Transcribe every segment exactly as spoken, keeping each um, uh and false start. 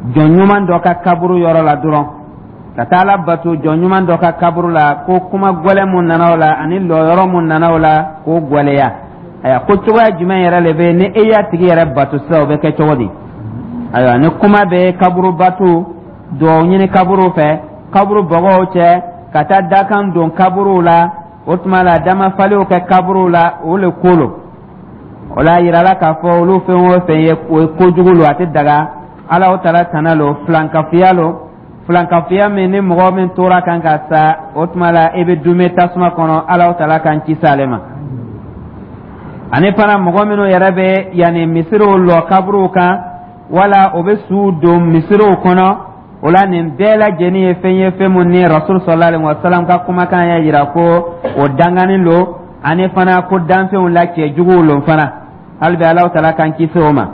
Jɔn ɲuman dɔ ka kaburu yɔrɔ la dɔrɔn, ka taa Ala bato jɔn ɲuman dɔ ka kaburu la, ko kuma gwɛlɛ mun nana o la ani lɔyɔrɔ mun nana o la, k'o gwɛlɛya. Ayiwa, ko cogoya jumɛn yɛrɛ le bɛ ni e y'a tigi yɛrɛ bato sisan, o bɛ kɛ cogo di? Ayiwa, ni kuma bɛ kaburu bato, duwawu ɲini kaburu fɛ, kaburu bɔgɔw cɛ, ka taa dakan don kaburuw la, o tuma la damafaliw kɛ kaburuw la, o le ko lo. O la yirala k'a fɔ olu fɛn o fɛn ye, o ye kojugu lo, a tɛ daga. Ala o tala tana lo, filankafiya lo, filankafiya min ni mɔgɔ min tora kan ka sa, o tuma la i bɛ dume tasuma kɔnɔ. Ala o tala k'an kisi ale ma. Ani fana, mɔgɔ minnu yɛrɛ bɛ yanni misiriw lɔ kaburuw kan, wala o bɛ suw don misiriw kɔnɔ, o la nin bɛɛ lajɛlen ye fɛn ye, fɛn mun ni Rasul sallallahu alaihi wa sallam ka kumakan y'a yira ko o dangani lo, ani fana ko danfɛnw la cɛjuguw lo fana. Hali bi Alahu tala k'an kisi o ma.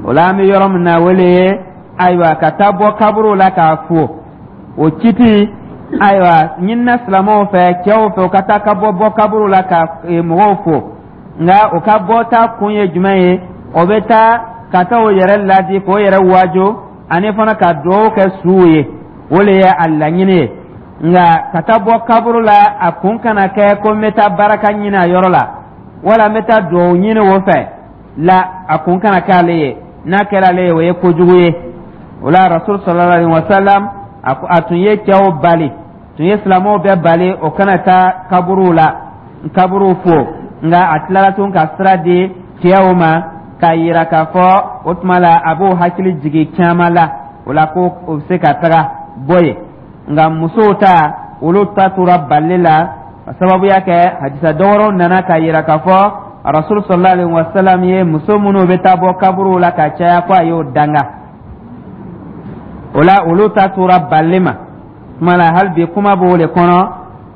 O la, an bɛ yɔrɔ min na, wele ye, ayiwa, ka taa bɔ kaburuw la k'a fo, o kiti, ayiwa, ɲinina silamɛw fɛ, cɛw fɛ, u ka taa ka bɔ bɔ kaburuw la ka mɔgɔw fo. Nka o ka bɔta kun ye jumɛn ye? O bɛ taa ka taa o yɛrɛ ladi, k'o yɛrɛ wajo, ani fana ka dugawu kɛ suw ye, o le ye a laɲini ye. Nka ka taa bɔ kaburu la, a kun kana kɛ ko n bɛ taa baraka ɲini a yɔrɔ la, wala n bɛ taa dugawu ɲini o fɛ la. A kun kana kɛ ale ye. N'a kɛra ale ye, o ye kojugu ye. O la, Rasul sallallahu alaihi wa sallam, a tun ye cɛw bali, tun ye silamɛw bɛɛ bali o kana taa kaburuw la, kaburuw fo. Nka a tilara tun ka sira di cɛw ma k'a yira k'a fɔ o tuma la a b'o hakili jigin caman la, o la ko o bɛ se ka taga bɔ yen. Nka musow ta, olu ta tora bali la, ka sababuya kɛ hadisa dɔwɛrɛw nana k'a yira k'a fɔ Rasul sallallahu alaihi wa sallam ye muso minnu bɛ taa bɔ kaburuw la ka caya, ko a y'o danga. O la, olu ta tora bali ma. Tuma la, hali bi kuma b'o de kɔnɔ.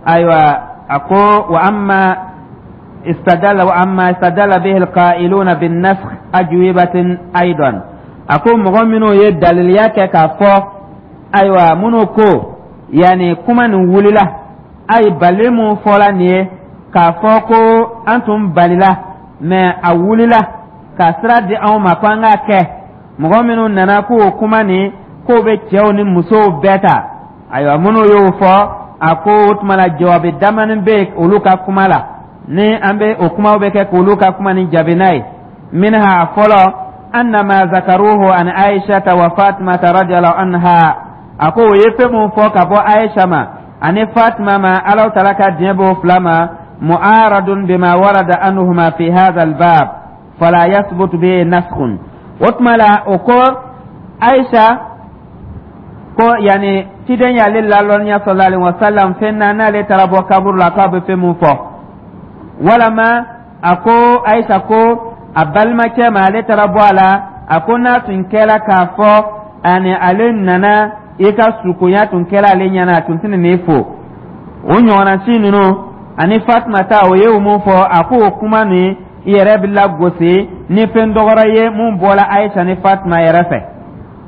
Ayiwa, a ko wa amma istadalla wa amma istadalla bihi alqa'iluna bin nasakh ajwibatin aidan. A ko mɔgɔ minnu ye daliliya kɛ k'a fɔ, ayiwa, minnu ko yanni kuma nin wulila, ayi, bali mun fɔla nin ye k'a fɔ ko an tun balila, mɛ a wulila ka sira di anw ma ko an k'a kɛ, mɔgɔ minnu nana k'o kuma nin k'o bɛ cɛw ni musow bɛɛ ta, ayiwa, minnu y'o fɔ, a ko o tuma la jawabi damani bɛ olu ka kuma la, ni an bɛ o kumaw bɛ kɛ k'olu ka kuma ni jaabi n'a ye. Minha, fɔlɔ, anna ma zakaruhu an Aishata wa Fatimata radiyallahu anha. A ko o ye fɛn mun fɔ ka bɔ Aisha ma ani Fatima ma, Alaw tala ka diɲɛ b'o fila ma, mu'aradun bima warada anhuma fi hadha albab, fala yasbutu bihi naskhun. O tuma la, o ko Aisha ko yanni ciden y'ale lalɔnniya sallallahu alaihi wasallam fɛn na, n'ale taara bɔ kaburu la, k'a bɛ fɛn mun fɔ, walama a ko Ayisa ko a balimacɛ ma, ale taara bɔ a la, a ko n'a tun kɛra k'a fɔ ani ale nana i ka sukonya tun kɛra ale ɲɛna, a tun tɛna n'i fo. O ɲɔgɔnna si ninnu ani Fatima ta, o ye o mun fɔ, a ko o kuma nin i yɛrɛ bɛ lagosi ni fɛn dɔgɔrɔ ye mun bɔra Ayisa ni Fatima yɛrɛ fɛ,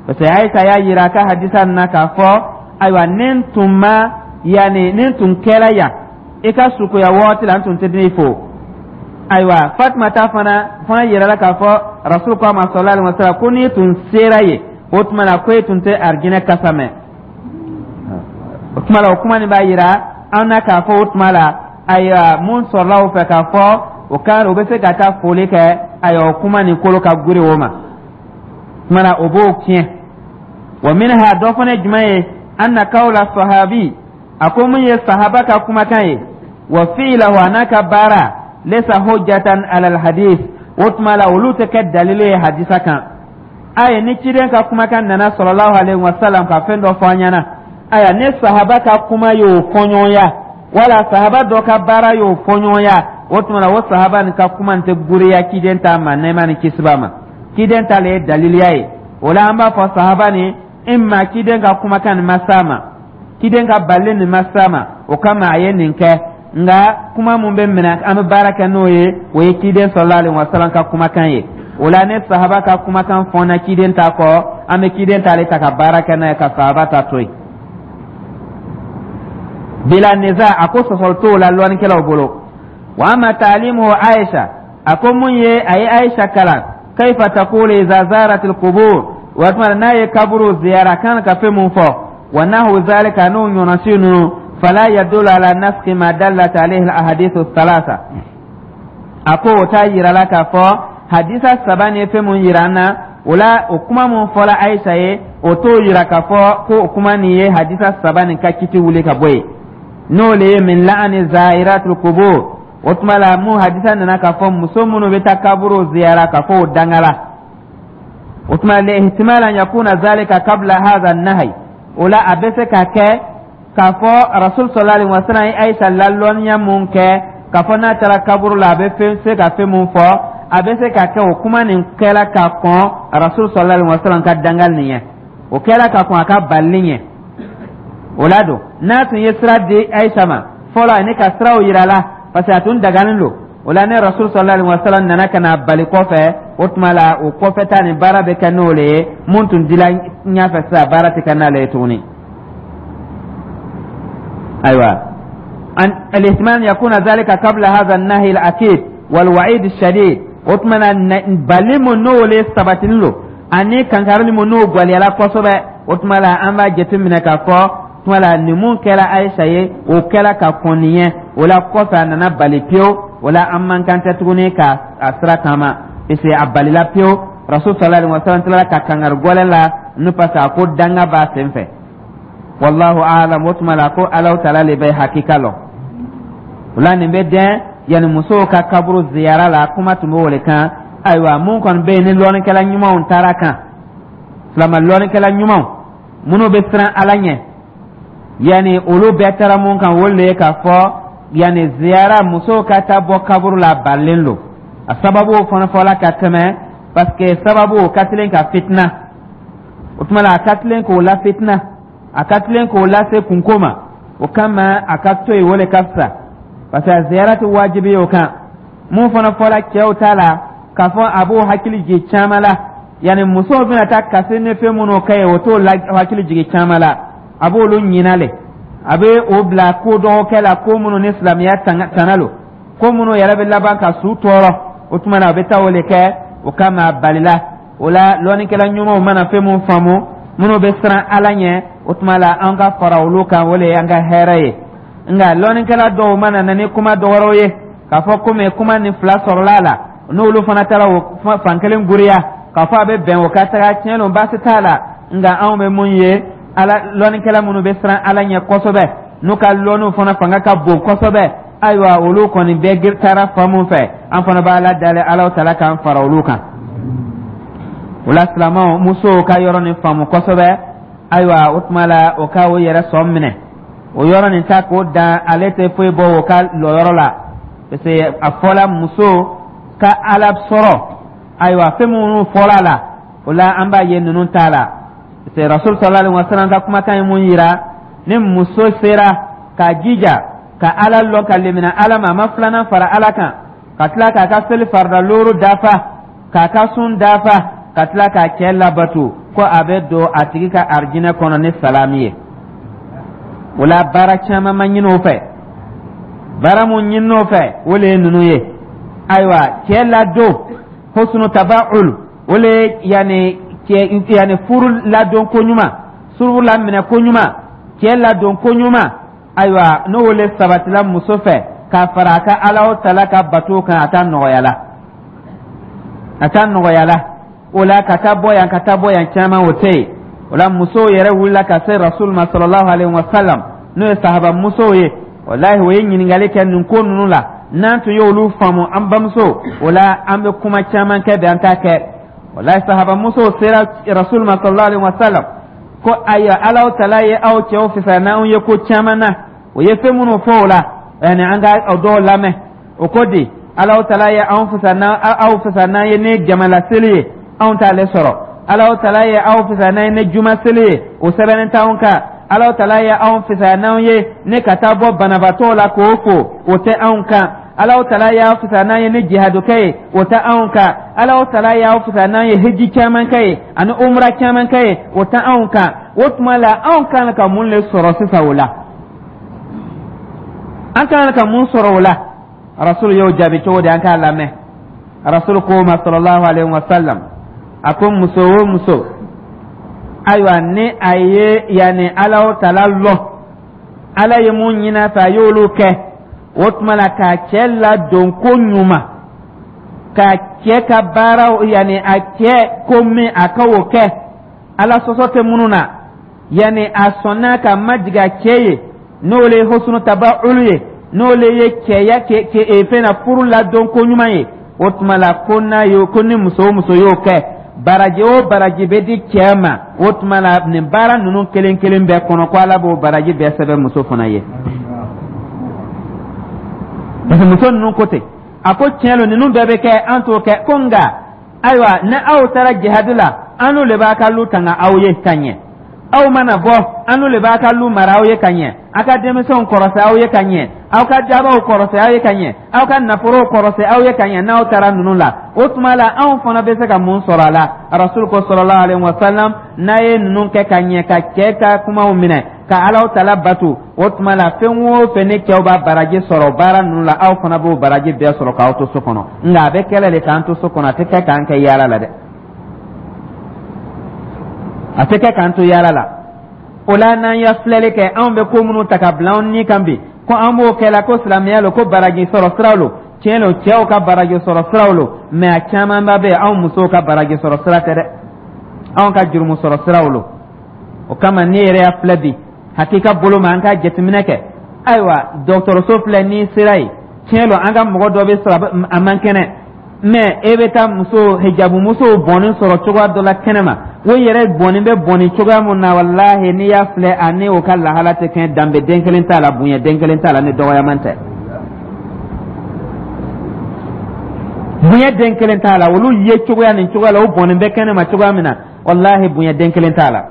parce que Ayisa y'a yira a ka hadisa nin na k'a fɔ, ayiwa, ni n tun ma yanni ni n tun kɛra yan i ka sukoya waati la, n tun tɛ n'i fo. Ayiwa, Fatima ta fana fana yirala k'a fɔ Rasul ko a ma sallallahu alaihi wasallam ko n'i tun sera yen, o tuma la ko e tun tɛ arijinɛ kasa mɛn. O tuma la, o kuma nin b'a yira an na k'a fɔ o tuma la, ayiwa, mun sɔrɔla o fɛ k'a fɔ o kan o bɛ se ka taa foli kɛ, ayiwa, o kuma nin kolo ka guri o ma. Tuma la, o b'o tiɲɛ. Wa minha, dɔ fana ye jumɛn ye? Anna kawla sahabi, a ko mun ye sahaba ka kumakan ye, wa fi'lahu, a n'a ka baara, laysa hujjatan ala alhadith. O tuma la, olu tɛ kɛ dalilu ye hadisa kan. Ayi, ni ciden ka kumakan nana sallallahu alaihi wasallam ka fɛn dɔ fɔ an ɲɛna, aya, ni sahaba ka kuma y'o fɔɲɔgɔnya, wala sahaba dɔ ka baara y'o fɔɲɔgɔnya, o tuma la o sahaba nin ka kuma nin tɛ guriya ciden ta ma, nɛɛma ni kisi b'a ma. Ciden ta le ye daliliya ye. O la, an b'a fɔ sahaba nin imma ciden ka kumakan nin ma s'a ma, ciden ka bali nin ma s'a ma, o kama a ye nin kɛ. Nka kuma mun bɛ minɛ, an bɛ baara kɛ n'o ye, o ye ciden sallallahu alaihi wasallam ka kumakan ye. O la, ne sahaba ka kumakan fɔnna ciden ta kɔ, an bɛ ciden t'ale ta ka baara kɛ n'a ye, ka sahaba ta to yen. Bila niza, a ko sɔsɔli t'o la lɔnnikɛlaw bolo. Wa ama taalimuhu Aisha, a ko mun ye a ye Aisha kalan kayfa taqulu iza zarat alqubur. O tuma la, n'a ye kaburu ziyara, a kan ka fɛn mun fɔ, wa nahu zalika, n'o ɲɔnɔsi ninnu, fala yadullu ala naskhi ma dallat alayhi al-ahadithu thalatha. A ko o t'a yira la k'a fɔ hadisa saba ni ye fɛn mun yira an na o la, o kuma mun fɔla Ayisa ye, o t'o yira k'a fɔ ko o kuma nin ye hadisa saba nin ka kiti wuli ka bɔ yen, n'o le ye min la'ani zairatul kubur. O tuma la, mun hadisa nana k'a fɔ muso minnu bɛ taa kaburu ziyara, k'a fɔ o dangala. O tuma la, ihtimal an yakuna zalika qabla hadha an-nahy. O la, a bɛ se ka kɛ k'a fɔ Rasul sallallahu alaihi wasallam ye Ayisa lalɔnniya mun kɛ k'a fɔ n'a taara kaburu la, a bɛ fɛn se ka fɛn mun fɔ, a bɛ se ka kɛ o kuma nin kɛla ka kɔn Rasul sallallahu alaihi wasallam ka dangali nin ɲɛ, o kɛla ka kɔn a ka balili ɲɛ. O la don, n'a tun ye sira di Ayisa ma fɔlɔ ani ka siraw yira la, parce que a tun dagalen don o la, ne Rasul sallallahu alaihi wasallam nana ka na bali kɔfɛ, o tuma la, o kɔfɛ ta nin baara bɛ kɛ n'o le ye. Mun tun dila ɲɛfɛ sisan, baara tɛ kɛ n'ale ye tuguni. Ayiwa, الاحتمال أن يكون ذلك قبل هذا النهي الأكيد والوعيد الشديد. O tuma na, bali mun n'o le sabatinin lo ani kankarili mun n'o gwaliyala kosɛbɛ, o tuma la, an b'a jateminɛ k'a fɔ tuma la, nin mun kɛra Ayisa ye, o kɛra ka kɔn nin ɲɛ. O la kɔfɛ, a nana bali pewu. O la, an man kan tɛ tuguni ka a sira taama, parce que a balila pewu. Rasul sallallahu alaihi wasallam tilala ka kangari gɔlɛn la n'u, parce que a ko danga b'a sen fɛ. Wallahu a'lam. O tuma la, ko Alahu taala le bɛ hakika lɔn. O la, nin bɛ dɛn yanni musow ka kaburu ziyara la, kuma tun bɛ o le kan. Ayiwa, mun kɔni bɛ yen ni lɔnnikɛla ɲumanw taara kan, silama lɔnnikɛla ɲumanw minnu bɛ siran Ala ɲɛ, yanni olu bɛɛ taara mun kan, o le ye k'a fɔ yanni ziyara, musow ka taa bɔ kaburu la, a balilen don. A sababu fana fɔla ka tɛmɛ, parce que sababu o ka tilen ka fitina. O tuma la, a ka tilen k'o la fitina, a ka tilen k'o lase kunko ma. O kama, a ka to yen, o le ka fisa, parce que a ziyara tɛ wajibi ye o kan. Mun fana fɔla cɛw ta la, k'a fɔ a b'o hakili jigin caman la, yanni musow bɛna taa kasi ni fɛn minnu kɛ ye, o t'o hakili jigin caman la, a b'olu ɲina le, a bɛ o bila ko dɔgɔkɛ la, ko minnu ni silamɛya tana lo, ko minnu yɛrɛ bɛ laban ka su tɔɔrɔ. O tuma na, a bɛ taa o le kɛ. O kama, a balila. O la, lɔnnikɛla ɲumanw mana fɛn mun faamu, minnu bɛ siran Ala ɲɛ, o tuma la, an ka fara olu kan, o le y'an ka hɛrɛ ye. Nka lɔnnikɛla dɔw mana na ni kuma dɔ wɛrɛw ye k'a fɔ komi kuma ni fila sɔrɔla a la, n'olu fana taara o fan kelen guriya k'a fɔ a bɛ bɛn, o ka taga tiɲɛ don, baasi t'a la. Nka anw bɛ mun ye, ala lɔnnikɛla minnu bɛ siran Ala ɲɛ kosɛbɛ, n'u ka lɔnniw fana fanga ka bon kosɛbɛ, ayiwa, olu kɔni bɛɛ taara fan mun fɛ, an fana b'a la dalen Ala tala k'an fara olu kan. O la, silamɛw musow ka yɔrɔ nin faamu kosɛbɛ. Ayiwa, o tuma la, o ka o yɛrɛ sɔn minɛ o yɔrɔ nin ta k'o dan, ale tɛ foyi bɔ o ka lɔyɔrɔ la, parce que a fɔla muso ka Ala sɔrɔ. Ayiwa, fɛn minnu fɔla a la, o la, an b'a ye ninnu t'a la, parce que Rasul sallallahu alaihi wasallam ka kumakan ye mun yira? Ni muso sera k'a jija ka Ala lɔn, ka lemina Ala ma, a ma filanan fara Ala kan, ka tila k'a ka seli farida looru dafa, k'a ka sun dafa, ka tila k'a cɛ labato, ko a bɛ don a tigi ka arijinɛ kɔnɔ ni salami ye. O la, baara caman ma ɲini o fɛ. Baara mun ɲini o fɛ, o le ye ninnu ye. Ayiwa, cɛ ladon, husnu taba'ul, o le ye yanni cɛ yanni furu ladon ko ɲuman, furu laminɛ ko ɲuman, cɛ ladon ko ɲuman. Ayiwa, n'o le sabatila muso fɛ k'a fara a ka Ala tala ka bato kan, a t'a nɔgɔya la, a t'a nɔgɔya la. O la, ka taa bɔ yan, ka taa bɔ yan caman, o tɛ yen. O la, musow yɛrɛ wulila ka se Rasul ma sallallahu alaihi wa sallam, n'o ye sahaba musow ye. Walahi, o ye ɲininkali kɛ nin ko ninnu la. N'an tun y'olu faamu, an bamuso, o la, an bɛ kuma caman kɛ bi, an t'a kɛ. Walahi, sahaba musow sera Rasul ma sallallahu alaihi wa sallam ko ayiwa, Alaw tala ye aw cɛw fisaya n'anw ye ko caman na. O ye fɛn minnu fɔ o la, yani an ka o dɔw lamɛn. O ko di? Alaw tala ye anw fisaya n'an, aw fisaya n'an ye ni jamalaseli ye, anw t'ale sɔrɔ. Alaw tala ye aw fisaya n'an ye ni juma seli ye, o sɛbɛnnen t'anw kan. Alaw tala ye anw fisaya n'anw ye ne ka taa bɔ banabaatɔw la k'o fo, o tɛ anw kan. Alaw tala y'aw fisaya n'an ye ni jihadukɛ ye, o tɛ anw kan. Alaw tala y'aw fisaya n'an ye hiji caman kɛ ye ani umra caman kɛ ye, o tɛ anw kan. O tuma la, anw kan ka mun le sɔrɔ sisan o la? An kan ka mun sɔrɔ o la? Rasul y'o jaabi cogo di? An k'a lamɛn. Rasul ko ma sallallahu alaihi wa sallam, a ko muso o muso Ayiwa, ni a ye yanni Alahu Taala lɔn, Ala ye mun ɲini a fɛ, a y'olu kɛ, o tuma la k'a cɛ ladon ko ɲuman, k'a cɛ ka baaraw, yanni a cɛ ko min a ka o kɛ, Ala sɔsɔ tɛ minnu na, yanni a sɔnna ka majigin a cɛ ye, n'o le ye husnu tabaulu ye, n'o le ye cɛya kɛ kɛ fɛn na furu ladon ko ɲuman ye, o tuma la ko n'a ye ko ni muso o muso y'o kɛ, baraji o baraji bɛ di cɛ ma, o tuma la nin baara ninnu kelen kelen bɛɛ kɔnɔ, ko Ala b'o baraji bɛɛ sɛbɛn muso fana ye. Parce que muso ninnu ko ten, a ko tiɲɛ lo, ninnu bɛɛ bɛ kɛ, an t'o kɛ. Ko nka ayiwa, ni aw taara jihadi la, an n'u le b'a ka lu tanga aw ye ka ɲɛ. Aw mana bɔ, an n'u le b'a ka lu mara aw ye ka ɲɛ, aw ka denmisɛnw kɔrɔsɛ aw ye ka ɲɛ, aw ka jabaw kɔrɔsɛ aw ye ka ɲɛ, aw ka nafolow kɔrɔsɛ aw ye ka ɲɛ. N'aw taara ninnu la, o tuma la anw fana bɛ se ka mun sɔrɔ a la? Rasul ko sallallahu alaihi wa sallam, n'a ye ninnu kɛ ka ɲɛ, ka cɛ ka kumaw minɛ, ka Alaw Tala batu, o tuma la fɛn o fɛn ni cɛw b'a baraji sɔrɔ baara ninnu la, aw fana b'o baraji bɛɛ sɔrɔ k'aw to so kɔnɔ. Nka a bɛ kɛlɛ de k'an to so kɔnɔ, a tɛ kɛ k'an kɛ yaala la dɛ, a tɛ kɛ k'an to yaala la. O la n'an ye filɛli kɛ, anw bɛ ko minnu ta ka bila anw ni kan bi, ko an b'o kɛ la ko silamɛya lo, ko baraji sɔrɔ siraw lo, tiɲɛ lo, cɛw ka baraji sɔrɔ siraw lo, mɛ a camanba bɛ yen, anw musow ka baraji sɔrɔ sira tɛ dɛ, anw ka jurumu sɔrɔ siraw lo. O kama ne yɛrɛ y'a filɛ bi, hakika bolo ma, an ka jateminɛ kɛ. Ayiwa, dɔgɔtɔrɔso filɛ, n'i sera yen, tiɲɛ lo, an ka mɔgɔ dɔ bɛ sɔrɔ a man kɛnɛ, mɛ e bɛ taa muso hijabu musow bɔnni sɔrɔ cogoya dɔ la kɛnɛma, o yɛrɛ bɔnni bɛ bɔnni cogoya mun na, walahi, n'i y'a filɛ, a ni o ka lahala tɛ kɛ, danbe den kelen t'a la, bonya den kelen t'a la, ni dɔgɔyaman tɛ, bonya den kelen t'a la. Olu ye cogoya nin cogoya la, o bɔnni bɛ kɛnɛma cogoya min na, walahi, bonya den kelen t'a la.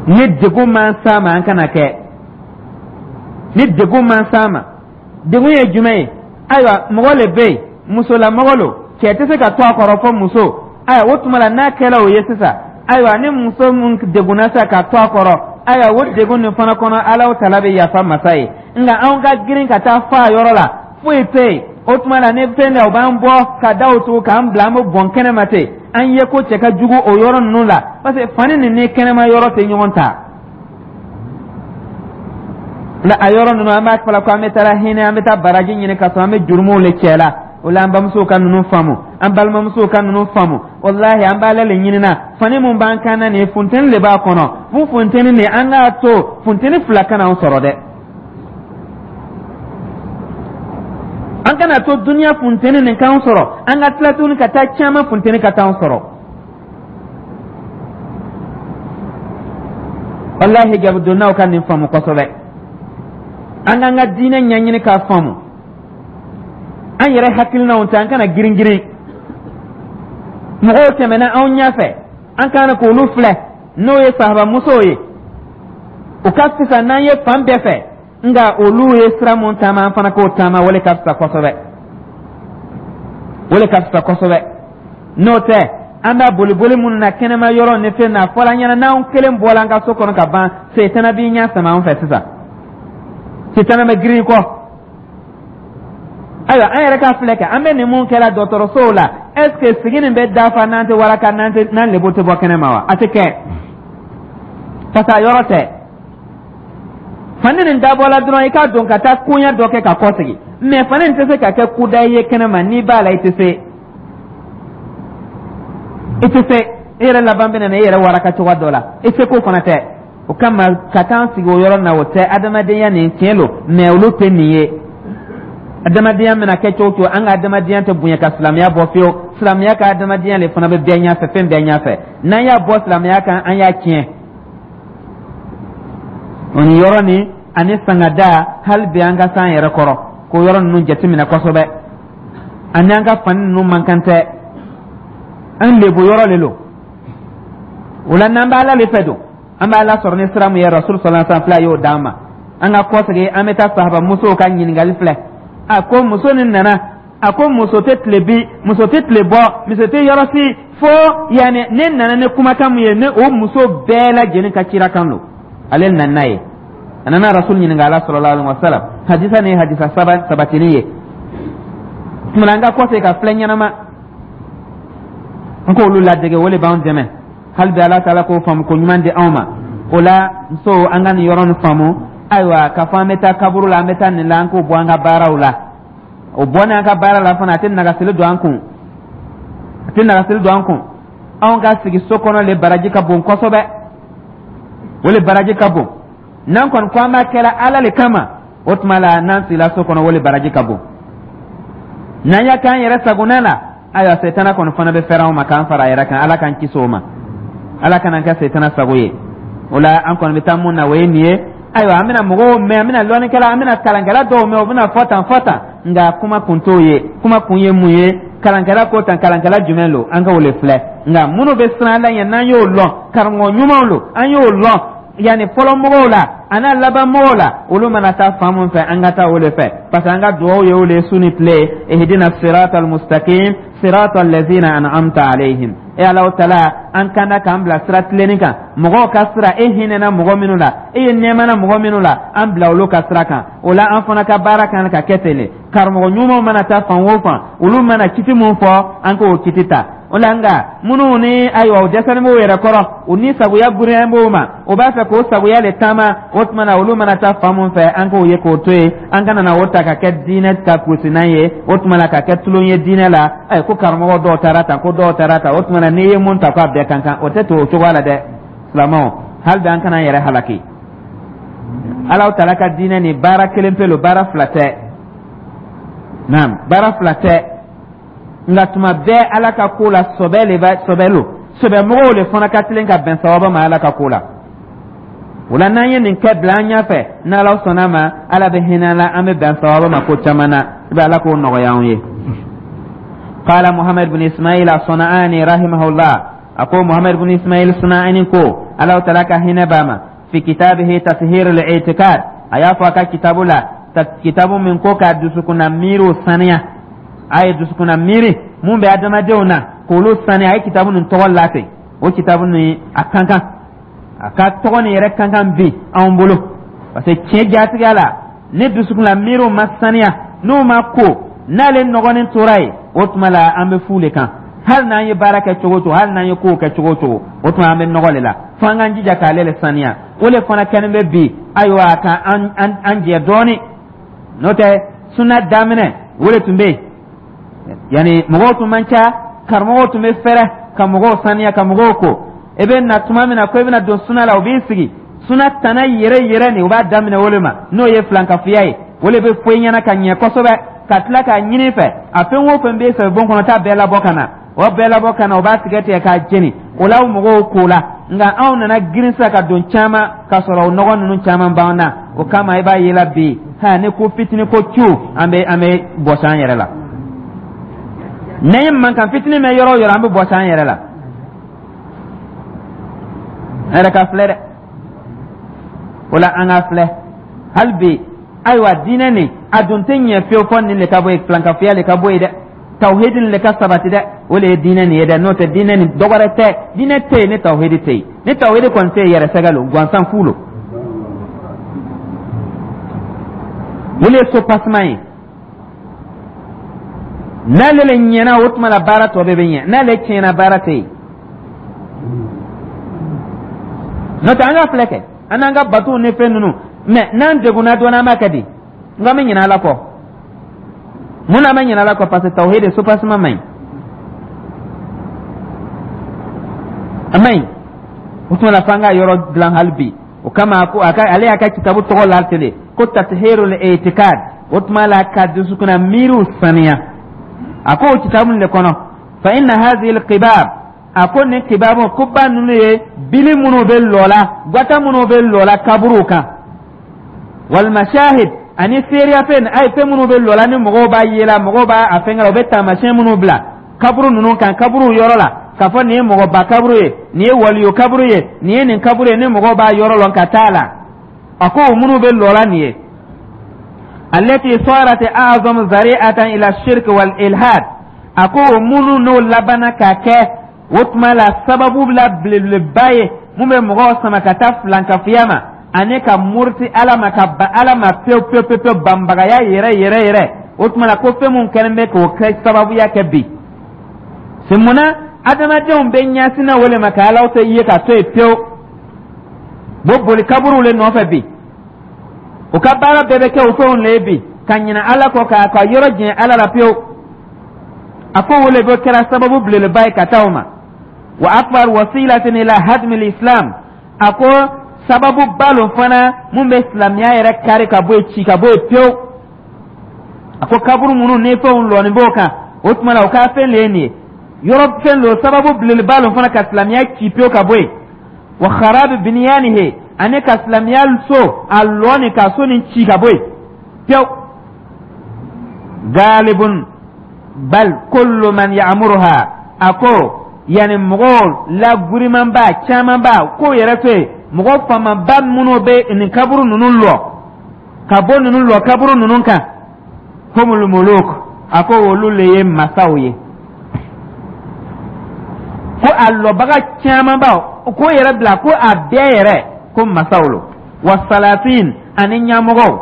Ni degun man s'a ma, an kana kɛ. Ni degun man s'a ma, degun ye jumɛn ye? Ayiwa, mɔgɔ le bɛ yen, musolamɔgɔ lo, cɛ tɛ se ka to a kɔrɔ fɔ muso. Ayiwa, o tuma la n'a kɛla o ye sisan, ayiwa, ni muso mun degunna sisan ka to a kɔrɔ, ayiwa, o degun nin fana kɔnɔ, Ala Tala bɛ yafa masa ye. Nka anw ka girin ka taa fa a yɔrɔ la, foyi tɛ yen. O tuma la ni fɛn dɛ, o b'an bɔ ka da o tugu k'an bila, an bɛ bɔn kɛnɛma ten. An ye ko cɛ ka jugu o yɔrɔ ninnu la, parce que fani nin ni kɛnɛma yɔrɔ tɛ ɲɔgɔn ta la. A yɔrɔ ninnu, an b'a fɔla ko an bɛ taa hinɛ, an bɛ taa baraji ɲini, ka sɔrɔ an bɛ jurumuw le cɛ la. O la an bamusow ka ninnu faamu, an balimamusow ka ninnu faamu. Walahi, an b'ale le ɲinina, fani mun b'an kan na nin ye, funteni le b'a kɔnɔ. Fo funteni nin, an k'a to funteni fila kana an sɔrɔ dɛ. An kana to duniya funteni nin k'an sɔrɔ, an ka tila tuguni ka taa caman funteni ka t'an sɔrɔ. Walahi, hijabudonnaw ka nin faamu kosɛbɛ. An k'an ka diinɛ ɲɛɲini k'a faamu, an yɛrɛ hakilinaw tɛ, an kana girin girin. Mɔgɔw tɛmɛna anw ɲɛfɛ, an kana k'olu filɛ, n'o ye sahabamusow ye, o ka fisa n'an ye fan bɛɛ fɛ. Nka olu ye sira mun taama, an fana k'o taama, o le ka fisa kosɛbɛ, o le ka fisa kosɛbɛ. N'o tɛ, an b'a boliboli minnu na kɛnɛma yɔrɔ ni fɛn na, a fɔra an ɲɛna, n'anw kelen bɔla an ka so kɔnɔ ka ban, setana b'i ɲɛ sama an fɛ sisan, setana bɛ girin i kɔ. Ayiwa, an yɛrɛ ka filɛ kɛ, an bɛ nin mun kɛla dɔgɔtɔrɔsow la, est ce que sigi nin bɛ dafa n'an tɛ waraka, n'an tɛ n'an lebo tɛ bɔ kɛnɛma wa? A tɛ kɛ, parce que a yɔrɔ tɛ. Fani nin dabɔla dɔrɔn i k'a don ka taa koɲɛ dɔ kɛ ka kɔsegin, mɛ fani nin tɛ se ka kɛ kuda ye kɛnɛma. N'i b'a la, i tɛ se, i tɛ se, i yɛrɛ laban bɛ na i yɛrɛ waraka cogoya dɔ la, i seko fana tɛ. O kama ka taa sigi o yɔrɔ na, o tɛ adamadenya nin tiɲɛ lo, mɛ olu tɛ nin ye. Adamadenya mana kɛ cogo cogo, an ka adamadenya tɛ bonya ka silamɛya bɔ fiyewu. Silamɛya ka adamadenya le fana bɛ bɛɛ ɲɛfɛ, fɛn bɛɛ ɲɛfɛ. N'an y'a bɔ silamɛya kan, an y'a tiɲɛ. O nin yɔrɔ nin ani sangada, hali bi an ka s'an yɛrɛ kɔrɔ k'o yɔrɔ ninnu jateminɛ kosɛbɛ, ani an ka fani ninnu man kan tɛ, an lebu yɔrɔ le lo. O la n'an bɛ Ala le fɛ don, an bɛ Ala sɔrɔ ni sira mun ye, Rasul sallallahu alaihi wasallam filɛ, a y'o d'an ma. An ka kɔsegin, an bɛ taa sahaba musow ka ɲininkali filɛ. A ko muso nin nana, a ko muso tɛ tile bi, muso tɛ tile bɔ, muso tɛ yɔrɔ si fo yanni ne nana ni kumakan mun ye, ne o muso bɛɛ lajɛlen ka cira kan don, ale nana n'a ye. A nana Rasul ɲininka ala sallallahu alaihi wasallam. Hadisa nin ye hadisa saba sabatini ye. Tuma an ka kɔsegin ka filɛ ɲɛnama. An k'olu ladege, o le b'an dɛmɛ. Hali bi, Ala taala k'o faamu ko ɲuman di anw ma. O la, muso, an ka nin yɔrɔ nin faamu. Ayiwa, k'a fɔ an bɛ taa kaburu la, an bɛ taa nin la, an k'o bɔ an ka baaraw la. O bɔ an ka baara la fana, a tɛ nagasili don an kun, a tɛ nagasili don an kun. Anw ka sigi so kɔnɔ le baraji ka bon kosɛbɛ, o le baraji ka bon. N'an kɔni ko an b'a kɛla Ala le kama, o tuma la, n'an sigila so kɔnɔ, o le baraji ka bon. N'an y'a k'an yɛrɛ sagona la, ayiwa, setana kɔni fana bɛ fɛrɛ anw ma k'an fara a yɛrɛ kan. Ala k'an kisi o ma, Ala kana kɛ setana sago ye. O la, an kɔni bɛ taa mun na, o ye nin ye. Ayiwa, an bɛna mɔgɔw mɛn, an bɛna lɔnnikɛla, an bɛna kalankɛla dɔw mɛn, o bɛna fɔ tan, fɔ tan, nka kuma kun t'o ye. Kuma kun ye mun ye? Kalankɛla ko tan, kalankɛla jumɛn lo? An ka o le filɛ. Nka minnu bɛ siran Ala ɲɛ, n'an y'o lɔn, karamɔgɔ ɲumanw lo, an y'o lɔn yanni fɔlɔ mɔgɔw la a n'a laban mɔgɔw la, olu mana taa fan mun fɛ, an ka taa o le fɛ, parce que an ka dugawu ye o le su ni tile: ihdina sirata almustaqim, sirata allazina an'amta alayhim. E Alahu taala, an kanda k'an bila sira tilenni kan, mɔgɔw ka sira, e hinɛna mɔgɔ minnu la, e ye nɛɛmana mɔgɔ minnu la, an bila olu ka sira kan. O la, an fana ka baara kan ka kɛ ten de. Karamɔgɔ ɲumanw mana taa fan o fan, olu mana kiti mun fɔ, an k'o kiti ta. O la, nka minnu ni, ayiwa, o dɛsɛlen b'o yɛrɛ kɔrɔ, u ni sagoya girinya b'o ma, o b'a fɛ k'o sagoya le taama, o tuma na, olu mana taa fan mun fɛ, an k'o ye k'o to yen. An kana na o ta ka kɛ diinɛ ta gosinan ye, o tuma na, ka kɛ tulon ye diinɛ la. Ayi, ko karamɔgɔ dɔw taara tan, ko dɔw taara tan, o tuma na, n'i ye mun ta, ko a bɛɛ kan kan, o tɛ to o cogoya la dɛ. Silamɛw, hali bi, an kana an yɛrɛ halaki. Alaw taala ka diinɛ ni baara kelen pe lo, baara fila tɛ. Naam, baara fila tɛ, nka tuma bɛɛ Ala ka ko la, sɔbɛ le bɛ, sɔbɛ lo, sɔbɛmɔgɔw le fana ka tilen ka bɛn sawaba ma Ala ka ko la. O la, n'an ye nin kɛ bila an ɲɛfɛ, n'Ala sɔnna ma, Ala bɛ hinɛ la, an bɛ bɛn sawaba ma ko caman na. I bɛ Ala k'o nɔgɔya anw ye. قال محمد بن إسماعيل الصنعاني رحمه الله, أقول محمد بن إسماعيل الصنعاني كو الله تعالى كهنا باما في كتابه تطهير الاعتقاد, أيا فاكا كتاب لا كتاب من كو كا dusukuna miiro saniya, a ye dusukuna miiri mun bɛ adamadenw na k'olu saniya, a ye kitabu nin tɔgɔ la ten. O kitabu nin, a kan kan a ka tɔgɔ nin yɛrɛ kan kan bi anw bolo, parce que tiɲɛ jatigiya la, ni dusukuna miiriw ma saniya, n'u ma ko, n'ale nɔgɔnin tora yen, o tuma la, an bɛ fu le kan. Hali n'an ye baara kɛ cogo o cogo, hali n'an ye kow kɛ cogo o cogo, o tuma, an bɛ nɔgɔ le la. Fo an k'an jija k'ale le saniya. O le fana kɛlen bɛ bi, ayiwa, ka an an an jɛ dɔɔni. N'o tɛ, suna daminɛ, o le tun bɛ yen, yanni mɔgɔw tun man ca, karamɔgɔw tun bɛ fɛrɛ ka mɔgɔw saniya, ka mɔgɔw ko. I bɛ na tuma min na ko i bɛna don suna la, o b'i sigi suna tana yɛrɛ yɛrɛ nin, o b'a daminɛ o le ma, n'o ye filankafoya ye. O le bɛ fɔ i ɲɛna ka ɲɛ kosɛbɛ, ka tila k'a ɲini fɛ, a fɛn o fɛn b'e fɛ bon kɔnɔ, taa bɛɛ labɔ ka na, o bɛɛ labɔ ka na, o b'a tigɛ tigɛ k'a jeni. O la, mɔgɔw ko la, nka anw nana girin sisan ka don caman ka sɔrɔ o nɔgɔ ninnu caman b'an na. O kama, i b'a ye la bi, ha, ni ko fitinin ko cu, an bɛ an bɛ bɔsi an yɛrɛ la. N'an ye mankan fitinin mɛn yɔrɔ o yɔrɔ, an bɛ bɔsi an yɛrɛ la. An yɛrɛ ka filɛ dɛ. O la, an ka filɛ hali bi. Ayiwa, diinɛ nin, a dun tɛ ɲɛ fiyewu fɔ nin le ka bɔ yen, filankafoya le ka bɔ yen dɛ, tawhidi nin le ka sabati dɛ. O le ye diinɛ nin ye dɛ. N'o tɛ, diinɛ nin dɔwɛrɛ tɛ, diinɛ tɛ yen ni tawhidi tɛ yen. Ni tawhidi kɔni tɛ yen, yɛrɛ sɛgɛ lo gansan, fu lo. O le ye soubassement ye. N'ale le ɲɛna, o tuma la, baara tɔ bɛɛ bɛ ɲɛ. N'ale tiɲɛna, baara tɛ yen. N'o tɛ, an ka filɛ kɛ, an n'an ka batow ni fɛn ninnu mɛ, n'an degunna dɔɔnin, an b'a kɛ di? N ko an bɛ ɲinɛ Ala kɔ. Mun na an bɛ ɲinɛ Ala kɔ? Parce que tawhidi soubassement man ɲi, a man ɲi. O tuma la, f'an ka yɔrɔ dilan hali bi. O kama, ko a ka, ale y'a ka kitabu tɔgɔ la ten de ko tathirul i'tiqad, o tuma la, ka dusukunna miiriw saniya. A ko o kitabu nin de kɔnɔ, fa inna hadhihi al-qibab, a ko nin kibabu kuba ninnu ye bili minnu bɛ lɔ la, gwata minnu bɛ lɔ la kaburuw kan, wal mashahid, ani seereya fɛn, a ye fɛn minnu bɛ lɔ la, ni mɔgɔw b'a ye la, mɔgɔw b'a a fɛnkɛ la, u bɛ taamasiyɛn minnu bila kaburu ninnu kan, kaburu yɔrɔ la, k'a fɔ nin ye mɔgɔba kaburu ye, nin ye waliyo kaburu ye, nin ye nin kaburu ye, ni mɔgɔw b'a yɔrɔ lɔn ka taa la. A ko o minnu bɛ lɔ la nin ye, allati sarat a'zam zari'atan ila shirk wal ilhad, a ko o minnu n'o labanna ka kɛ, o tuma la, sababu la belebeleba ye mun bɛ mɔgɔw sama ka taa filankafoya ma ani ka muruti Ala ma, ka ban Ala ma pewu pewu pewu pewu, banbagaya yɛrɛ yɛrɛ yɛrɛ. O tuma la, ko fɛn mun kɛlen bɛ k'o kɛ sababuya kɛ bi, c'est munna Adamadenw bɛ ɲɛsinna o le ma ka Alaw tɛ ye ka to yen pewu. Bo boli kaburuw le nɔfɛ bi, o ka baara bɛɛ bɛ kɛ o fɛnw le ye bi, ka ɲinɛ Ala kɔ, k'a ka yɔrɔ jɛn Ala la pewu. A ko o le bɛ kɛra sababu belebeleba ye ka taa o ma. Wa akbar wasilatin ila hadmi islam, a ko sababu ba lo fana mun bɛ silamɛya yɛrɛ kari ka bɔ yen, ci ka bɔ yen pewu. A ko kaburu minnu ni fɛnw lɔni b'o kan, o tuma na o ka fɛn le ye nin ye, yɔrɔ fɛn lo, sababu belebeleba lo fana ka silamɛya ci pewu ka bɔ yen. Wa kharabi binyanihi, ani ka silamɛya so a lɔ ni ka so nin ci ka bɔ yen pewu. Galibun bal kullu man ya'muruha, a ko yani mɔgɔw la gurimanba camanba ko yɛrɛ to yen, mɔgɔ faamaba minnu bɛ nin kaburu ninnu lɔ ka bɔ ninnu lɔ kaburu ninnu kan, humul muluk, a ko olu le ye masaw ye. Ko a lɔbaga camanba ko yɛrɛ bila, ko a bɛɛ yɛrɛ ko masaw lo, wa salatin, ani ɲɛmɔgɔw,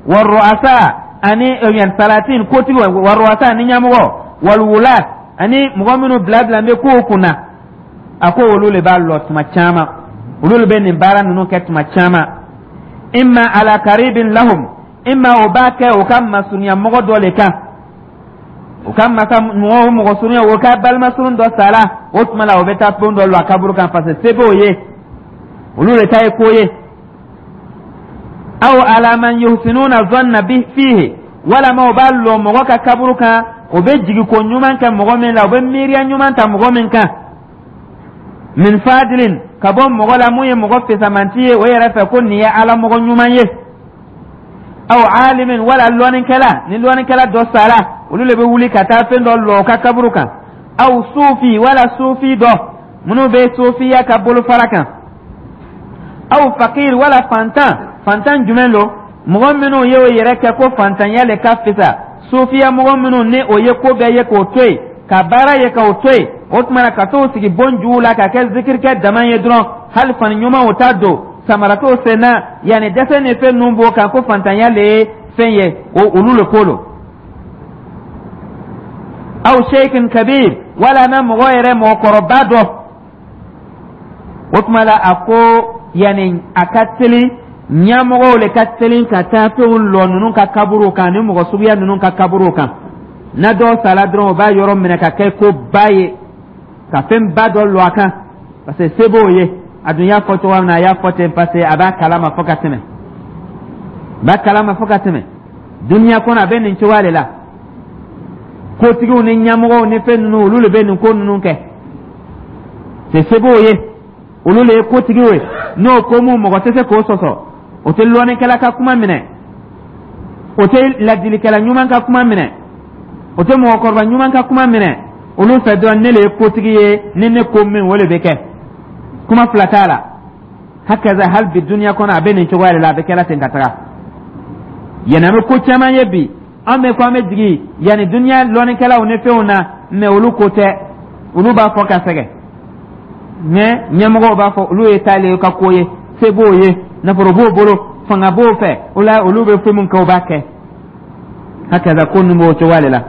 wa ru'asa, ani yan salatin kotigiw, wa ru'asa, ani ɲɛmɔgɔ, wal wulat, ani mɔgɔ minnu bila bila bɛ kow kunna. A ko olu le b'a lɔ tuma caman, olu le bɛ nin baara ninnu kɛ tuma caman. Imma ala karibin lahum, imma o b'a kɛ o ka masurunya mɔgɔ dɔ le kan, o ka masa mɔgɔ o mɔgɔ surunya, o ka balima surun dɔ sara, o tuma la o bɛ taa fɛn dɔ lɔ a kaburu kan, parce que se b'o ye, olu de ta ye ko ye. Aw ala man yuhsinuna zanna bi fihi, walama o b'a lɔ mɔgɔ ka kaburu kan, o bɛ jigi ko ɲuman kɛ mɔgɔ min la, o bɛ miiriya ɲuman ta mɔgɔ min kan, min fadilin, ka bɔ mɔgɔ la mun ye mɔgɔ fisamanti ye o yɛrɛ fɛ, ko nin ye Ala mɔgɔ ɲuman ye, aw alimin, wala lɔnnikɛla, ni lɔnnikɛla dɔ sara, olu le bɛ wuli ka taa fɛn dɔ lɔ o ka kaburu kan, aw sufi, wala sufi dɔ minnu bɛ sufiya ka bolofara kan, aw fakir, wala fantan. Fantan jumɛn don? Mɔgɔ minnu ye o yɛrɛ kɛ ko fantanya le ka fisa, sufiya mɔgɔ minnu ni o ye ko bɛɛ ye k'o to yen, ka baara ye k'o to yen, o tuma na ka t'o sigi bon juw la ka kɛ zikirikɛ dama ye dɔrɔn, hali fani ɲuman o t'a don, samara t'o sen na, yanni dɛsɛ ni fɛn ninnu b'o kan, ko fantanya le ye fɛn ye, o olu le ko lo. Aw sheikhin kabir, wala na mɔgɔ yɛrɛ mɔgɔkɔrɔba dɔ, o tuma la a ko yanni a ka teli ɲɛmɔgɔw le ka teli ka taa fɛnw lɔ ninnu ka kaburuw kan, ni mɔgɔ suguya ninnu ka kaburuw kan. Na dɔw sala dɔrɔn, o b'a yɔrɔ minɛ ka kɛ ko ba ye, ka fɛn ba dɔ lɔ a kan, parce que se b'o ye. A dun y'a fɔ cogoya min na, a y'a fɔ ten, parce que a b'a kalama fo ka tɛmɛ, a b'a kalama fo ka tɛmɛ. Duniya kɔnɔ a bɛ nin cogoya de la, kotigiw ni ɲɛmɔgɔw ni fɛn ninnu, olu de bɛ nin ko ninnu kɛ, se se b'o ye, olu le ye kotigiw ye. N'o ko mun mɔgɔ tɛ se k'o sɔsɔ, o tɛ lɔnnikɛla ka kuma minɛ, o tɛ ladilikɛla ɲuman ka kuma minɛ, o tɛ mɔgɔkɔrɔba ɲuman ka kuma minɛ. Olu fɛ dɔrɔn, ne le ye kotigi ye, ni ne ko min, o le bɛ kɛ, kuma fila t'a la. Hakaza hali bi duniya kɔnɔ a bɛ nin cogoya de la, a bɛ kɛla ten ka taga. Yanni an bɛ ko caman ye bi, an bɛ ko an bɛ jigin yanni duniya lɔnnikɛlaw ni fɛnw na, mɛ olu ko tɛ, olu b'a fɔ ka sɛgɛn, mɛ ɲɛmɔgɔw b'a fɔ olu ye taale ka ko ye, se b'o ye, nafolo b'o bolo, fanga b'o fɛ, o la olu bɛ fɛn min kɛ, o b'a kɛ. Hakaza ko ninnu b'o cogoya de la.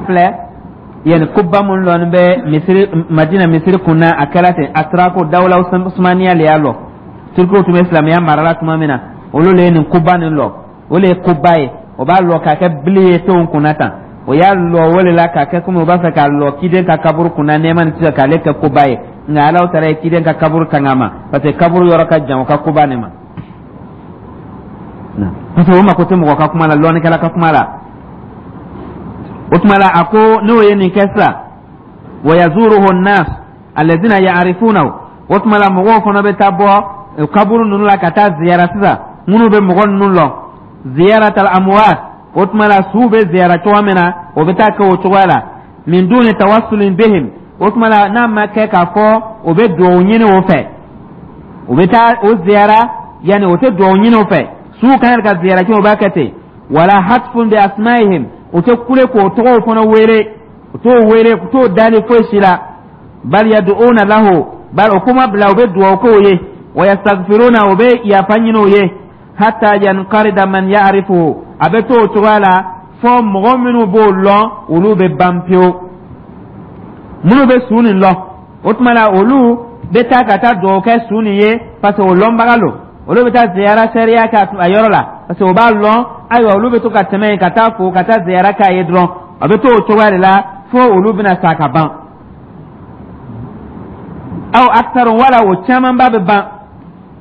Filɛ yani kuba mun lɔni bɛ misiri Madina misiri kunna, a kɛra ten a tora ko dawula usumaniya le y'a lɔ. Turkiw tun bɛ silamɛya mara la tuma min na, olu le ye nin kuba nin lɔ, o le ye kuba ye. O b'a lɔ k'a kɛ bili ye fɛnw kunna tan, o y'a lɔ o le la k'a kɛ komi o b'a fɛ k'a lɔ kiden ka kaburu kunna, nɛɛma ni kisi, k'ale kɛ kuba ye. Nka Ala taara ye kiden ka kaburu tanga ma, parce que kaburu yɔrɔ ka jan o ka kuba nin ma, parce que o mako tɛ mɔgɔ ka kuma la, lɔnnikɛla ka kuma la. O tuma la a ko n'o ye nin kɛ sisan, wa yazuruhu nnas alladhina ya'rifunahu, o tuma la mɔgɔw fana bɛ taa bɔ kaburu ninnu la ka taa ziyara sisan, minnu bɛ mɔgɔ ninnu lɔn, ziyaratal amwat, o tuma la suw bɛ ziyara cogoya min na, o bɛ taa kɛ o cogoya la, min duni tawassulin bihim, o tuma la n'a ma kɛ k'a fɔ o bɛ duwawu ɲini o fɛ, o bɛ taa o ziyara, yanni o tɛ duwawu ɲini o fɛ, suw kan ka ziyara kɛ, o b'a kɛ ten. Wala hatfun bi asmaihim, o tɛ kule k'o tɔgɔw fana wele, o t'o wele, o t'o dali foyi si la. Bal yad'una lahu, bal o kuma bila, o bɛ duwawu k'o ye, wa yastaghfiruna, o bɛ yafa ɲini o ye. Hatta yanqarida man ya'rifuhu, a bɛ to o cogoya la fo mɔgɔ minnu b'o lɔn, olu bɛ ban pewu. Minnu bɛ su nin lɔn, o tuma la olu bɛ taa ka taa dugawu kɛ su nin ye, parce que o lɔnbaga lo. Olu bɛ taa ziyara sariya kɛ a yɔrɔ la, parce que o b'a lɔn. Ayiwa, olu bɛ to ka tɛmɛ yen ka taa fo ka taa ziyara k'a ye dɔrɔn. A bɛ to o cogoya de la fo olu bɛna sa ka ban, aw aktaru, wala o camanba bɛ ban.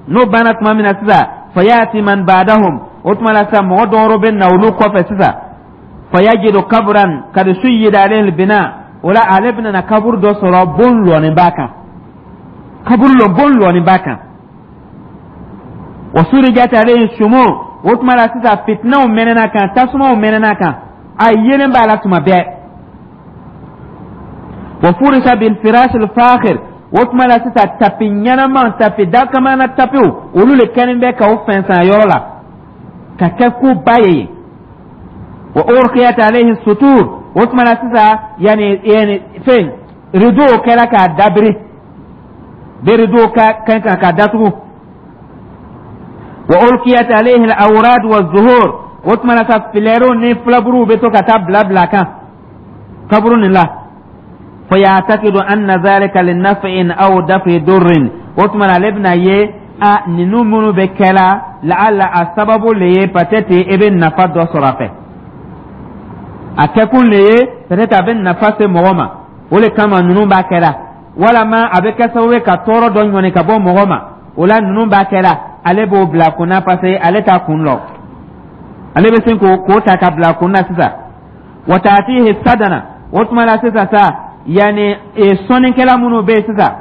N'o banna tuma min na sisan, fayati man ba'dahum, o tuma la sisan mɔgɔ dɔwɛrɛ bɛ na olu kɔfɛ sisan. Fayajidu kabran kad suyyida alayhi bina, o la ale bɛna na kaburu dɔ sɔrɔ, bon lɔnin b'a kan, kaburu lɔ, bon lɔnin b'a kan. Wa surijat alayhi shumu, o tuma la sisan fitinaw mɛnɛna kan, tasumaw mɛnɛna kan, a yelen b'a la tuma bɛɛ. Wa furisa bil firash al fakhir, o tuma la sisan tapi ɲɛnama, tapi dakamana tapiw, olu le kɛlen bɛ k'aw fɛnsɛn a yɔrɔ la ka kɛ ko ba ye. Wa urqiyat alayhi sutur, o tuma la sisan yani yani fɛn rideau kɛra k'a dabiri bɛ rideau ka kan kan k'a datugu. Wa ulqiyat alayhi al-awrad wa zuhur, o tuma la sa filɛriw ni fulaburuw bɛ to ka taa bila bila kan kaburu nin la. Fayatakidu anna zalika linaf'in aw dafi durrin, o tuma la ale bɛna ye a ninnu minnu bɛ kɛla, laala a sababu le ye peut-être e bɛ nafa dɔ sɔrɔ a fɛ. A kɛkun le ye peut-être a bɛ nafa se mɔgɔ ma, o le kama ninnu b'a kɛra, walama a bɛ kɛ sababu ye ka tɔɔrɔ dɔ ɲɔni ka bɔ mɔgɔ ma, o la ninnu b'a kɛra. Ale b'o bila kunna, parce que ale t'a kun lɔ, ale bɛ sin k'o k'o ta ka bila kun na sisan. Wa taatihi sadana, o tuma la sisan sa yanni sɔnnikɛla minnu bɛ yen sisan,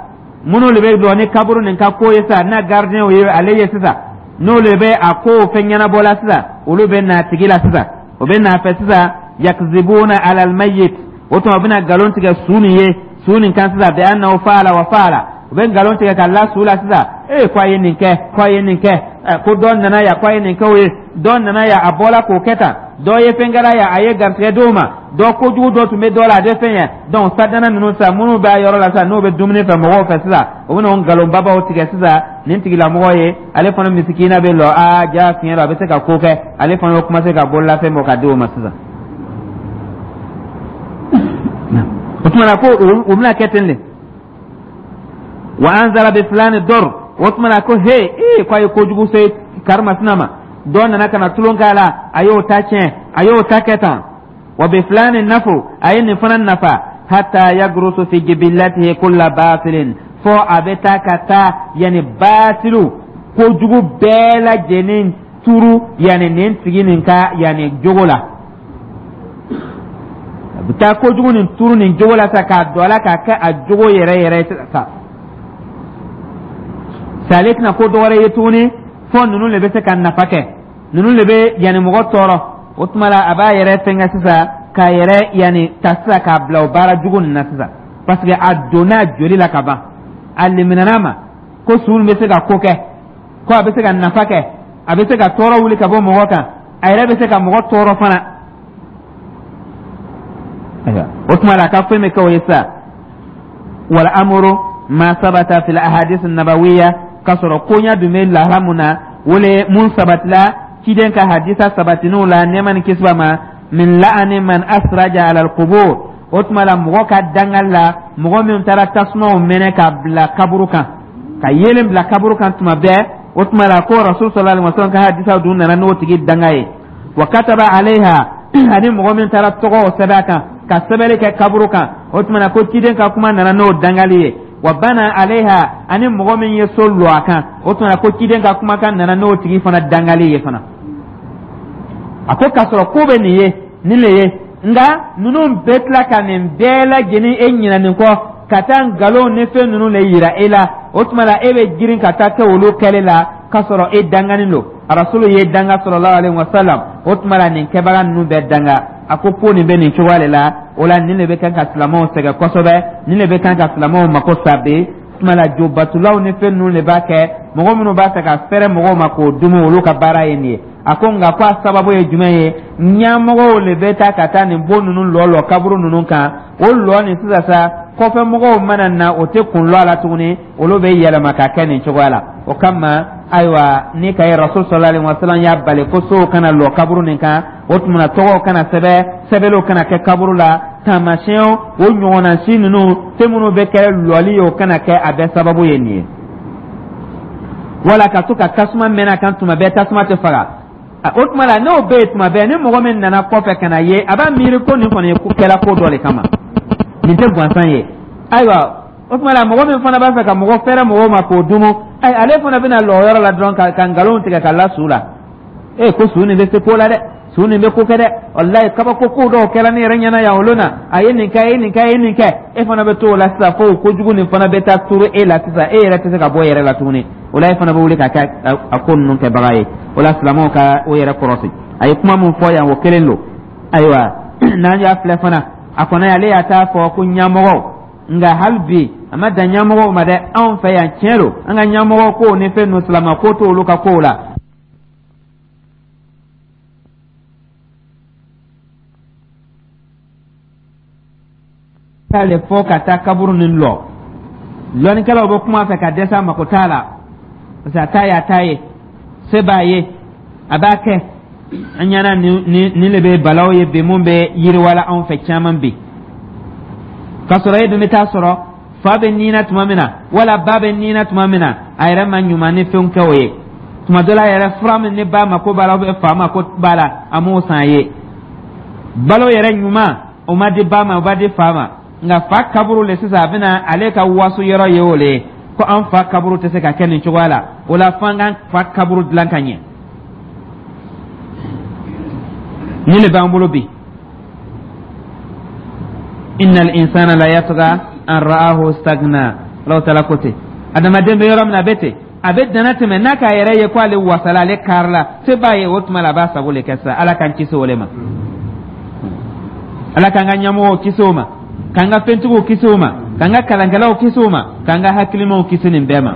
minnu de bɛ lɔ ni kaburu nin ka ko ye sisan, n'a gardien ye ale ye sisan, n'olu bɛ a ko fɛn ɲɛnabɔ la sisan, olu bɛ na tigi la sisan, o bɛ n'a fɛ sisan. Yakzibuna ala almayit, o tuma u bɛna nkalon tigɛ su nin ye, su nin kan sisan, bi annahu faala wa faala. U bɛ nkalon tigɛ ka la su la sisan, ee, ko a ye nin kɛ, ko a ye nin kɛ, ko dɔ nana yan, ko a ye nin kɛ o ye, dɔ nana yan, a bɔla k'o kɛ tan, dɔ ye fɛn kɛra yan, a ye garisɛgɛ d'o ma, dɔ kojugu dɔ tun bɛ dɔ la, a tɛ fɛn ye. Donc sadana ninnu sisan, minnu b'a yɔrɔ la sisan, n'o bɛ dumuni fɛ mɔgɔw fɛ sisan, o bɛ n'o nkalonbabaw tigɛ sisan nin tigilamɔgɔ ye. Ale fana misikina bɛ lɔ, aa, ja fiɲɛ la, a bɛ se ka ko kɛ. Ale fana bɛ commencer ka bololafɛn bɔ ka di o ma sisan. O tuma na ko o bɛna kɛ ten de. Wa anzala bi fulani dor, o tuma na ko he, ee, ko a ye kojugu se karimasina ma, dɔ nana ka na tulon k'a la, a y'o ta tiɲɛ, a y'o ta kɛ tan. Wa bi fulani nafu, a ye nin fana nafa. Hatta yagrusu fi jibilatihi kulla batilin, fo a bɛ taa ka taa yanni batilu kojugu bɛɛ lajɛlen turu yanni nin tigi nin ka yanni jogo la. A bɛ taa kojugu nin turu nin jogo la sa, k'a don a la, k'a kɛ a jogo yɛrɛ yɛrɛ sa. Sale tɛna ko dɔwɛrɛ ye tuguni, fo ninnu de bɛ se ka nafa kɛ, ninnu de bɛ yanni mɔgɔ tɔɔrɔ. O tuma la a b'a yɛrɛ fɛnkɛ sisan, k'a yɛrɛ yanni ta sisan, k'a bila o baara jugu nin na sisan, parce que a donna joli la ka ban. A liminɛna ma ko su bɛ se ka ko kɛ, ko a bɛ se ka nafa kɛ, a bɛ se ka tɔɔrɔ wuli ka bɔ mɔgɔ kan, a yɛrɛ bɛ se ka mɔgɔ tɔɔrɔ fana. O tuma la a ka fɛn bɛ kɛ o ye sisan. Wal amuru ma sabata fil ahadith nabawiya, k'a sɔrɔ koɲa dun bɛ lahala mun na, wole mun sabatila ciden ka hadisa sabatiniw la, nɛɛma ni kisi b'a ma, min la'ani man asraja ala alqubur, o tuma la mɔgɔ ka dangali la, mɔgɔ min taara tasumaw mɛnɛ ka bila kaburu kan, ka yeelen bila kaburu kan tuma bɛɛ. O tuma la ko Rasul sallallahu alaihi wasallam ka hadisa dun nana n'o tigi danga ye. Wa kataba alaiha, ani mɔgɔ min taara tɔgɔw sɛbɛn a kan, ka sɛbɛnni kɛ kaburu kan, o tuma na ko ciden ka kuma nana n'o dangali ye. Wa bana alaiha, ani mɔgɔ min ye so lɔ a kan, o tuma na ko ciden ka kumakan nana n'o tigi fana dangali ye fana. A ko k'a sɔrɔ ko bɛ nin ye, nin le ye, nka ninnu bɛɛ tila ka nin bɛɛ lajɛlen e ɲinɛ nin kɔ, ka taa nkalon ni fɛn ninnu le yira e la. O tuma la e bɛ girin ka taa kɛ olu kɛli la, k'a sɔrɔ e danganin don, Arasulu ye danga sallallahu alaihi wasallam. O tuma la nin kɛbaga ninnu bɛɛ danga. A ko ko nin bɛ nin cogoya de la. O la nin de bɛ kan ka silamɛw sɛgɛn kosɛbɛ, nin de bɛ kan ka silamɛw mako sa bi. Tuma la jobatulaw ni fɛn ninnu de b'a kɛ. Mɔgɔ minnu b'a fɛ ka fɛrɛ mɔgɔw ma k'o dumu, olu ka baara ye nin ye. A ko nka ko a sababu ye jumɛn ye? Ɲɛmɔgɔw le bɛ taa ka taa nin bon ninnu lɔ lɔ kaburu ninnu kan. O lɔ nin sisan sa, kɔfɛ mɔgɔw mana na, o tɛ kun lɔ a la tuguni, olu bɛ yɛlɛma ka kɛ nin cogoya la. O kama, ayiwa, ni ka ye Rasul sallallahu alaihi wasallam y'a bali ko sow kana lɔ kaburu nin kan. O tuma na, tɔgɔw kana sɛbɛn, sɛbɛnniw kana kɛ kaburu la, taamasiyɛnw o ɲɔgɔnna si ninnu, fɛn minnu bɛ kɛ lɔli ye, o kana kɛ. A bɛɛ sababu ye nin ye. Wala ka to ka tasuma mɛnɛ a kan tuma bɛɛ, tasuma tɛ faga. O tuma la, n'o bɛ yen tuma bɛɛ, ni mɔgɔ min nana kɔfɛ ka na ye, a b'a miiri ko nin kɔni ye ko kɛla ko dɔ de kama, nin tɛ gansan ye. Ayiwa, o tuma la, mɔgɔ min fana b'a fɛ ka mɔgɔ fɛrɛ mɔgɔw ma k'o dumu, ayi, ale fana bɛna lɔ yɔrɔ la dɔrɔn ka ka nkalon tigɛ ka la su la. Ee, ko su nin bɛ se ko la dɛ, su nin bɛ ko kɛ dɛ, walayi, kabako ko dɔw kɛra ne yɛrɛ ɲɛna yan olu na, a ye nin kɛ, a ye nin kɛ, a ye nin kɛ. E fana bɛ to o la sisan, fo kojugu nin fana bɛ taa turu e la sisan, e yɛrɛ tɛ se ka bɔ e yɛrɛ la tuguni. O la, e fana bɛ wuli ka kɛ a ko ninnu kɛbaga ye. O la, silamɛw ka o yɛrɛ kɔrɔsi. A ye kuma min fɔ yan, o kelen don. Ayiwa, n'an y'a filɛ fana, a kɔni ale y'a t'a fɔ ko ɲɛmɔgɔw, nka hali bi a ma dan ɲɛmɔgɔw ma dɛ. Anw fɛ yan, tiɲɛ don, an ka ɲɛmɔgɔ kow ni fɛn ninnu, silamɛ ko t'olu ka kow la. K'ale fɔ ka taa kaburu nin lɔ, lɔnnikɛlaw bɛ kuma fɛ ka dɛsɛ a mako t'a la, parce que a ta y'a ta ye, se b'a ye, a b'a kɛ. An ɲɛna nin nin de bɛ balaw ye bi, mun bɛ yiriwala anw fɛ caman bi, k'a sɔrɔ e dun bɛ taa sɔrɔ fa bɛ nin na tuma min na, wala ba bɛ nin na tuma min na, a yɛrɛ ma ɲuman ni fɛnw kɛ o ye. Tuma dɔ la yɛrɛ, fura min ni ba mako b'a la, fa mako b'a la, a m'o san a ye. Balo yɛrɛ ɲuman, o ma di ba ma, o b'a di fa ma. Nka fa kaburu le sisan, a bɛna ale ka waso yɔrɔ ye, o le ye ko an fa kaburu tɛ se ka kɛ nin cogoya la. O la, f'an k'an fa kaburu dilan ka ɲɛ. Nin de b'an bolo bi. Innal insana la yatgha an ra'ahu istagna. Alahu taala ko ten, adamaden bɛ yɔrɔ min na, a bɛ ten, a bɛ dana tɛmɛ n'a k'a yɛrɛ ye ko ale wasala, ale karila, se b'a ye. O tuma la, a b'a sago le kɛ sisan. Ala k'an kisi o le ma. Ala k'an ka ɲɛmɔgɔw kisi o ma, k'an ka fɛntigiw kisi o ma, k'an ka kalankɛlaw kisi o ma, k'an ka hakilimaw kisi nin bɛɛ ma.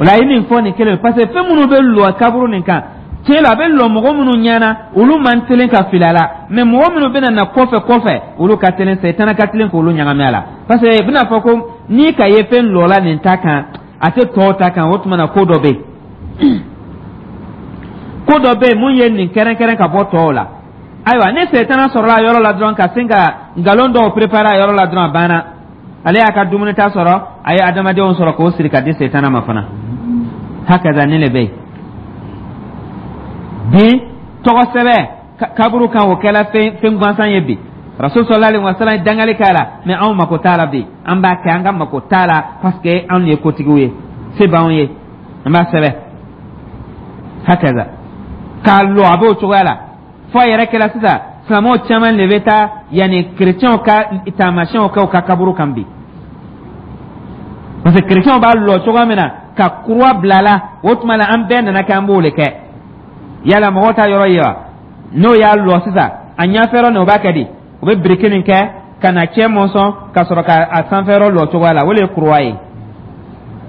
O la, a ye nin fɔ nin kelen, parce que fɛn minnu bɛ lɔ kaburu nin kan, tiɲɛ la, a bɛ lɔ mɔgɔ minnu ɲɛna, olu man teli ka fili a la, mɛ mɔgɔ minnu bɛna na kɔfɛ kɔfɛ, olu ka teli, sɛtana ka teli k'olu ɲagami a la, parce que i bɛna fɔ ko n'i ka ye fɛn lɔla nin ta kan, a tɛ tɔw ta kan. O tuma na, ko dɔ bɛ yen, ko dɔ bɛ yen mun ye nin kɛrɛnkɛrɛn ka bɔ tɔw la. Ayiwa, ni sɛtana sɔrɔla a yɔrɔ la dɔrɔn, ka sin ka nkalon dɔw préparer a yɔrɔ la dɔrɔn, a banna. Ale y'a ka dumuni ta sɔrɔ, a ye adamadenw sɔrɔ k'o siri ka di sɛtana ma fana. Hakaza, nin de bɛ yen bi. Tɔgɔ sɛbɛn kaburu kan, o kɛla fɛn fɛn gansan ye bi. Rasul sallallahu alaihi wasallam ye dangali k'a la, mɛ anw mako t'a la bi. An b'a kɛ, an ka mako t'a la, parce que anw ye kotigiw ye, se b'anw ye, an b'a sɛbɛn. Hakaza, k'a lɔ, a b'o cogoya la. Fo a yɛrɛ kɛra sisan, silamɛw caman de bɛ taa yanni kerecɛnw ka taamasiyɛnw kɛ u ka kaburu kan bi, parce que kerecɛnw b'a lɔ cogoya min na ka kuruwa bila la, o tuma la, an bɛɛ nana kɛ an b'o de kɛ. Yala mɔgɔw ta yɔrɔ ye wa? N'o y'a lɔ sisan, a ɲɛfɛ yɔrɔ nin, o b'a kɛ di? O bɛ biriki nin kɛ ka na cɛ mɔnsɔn ka sɔrɔ ka a sanfɛ yɔrɔ lɔ cogoya la. O de ye kuruwa ye.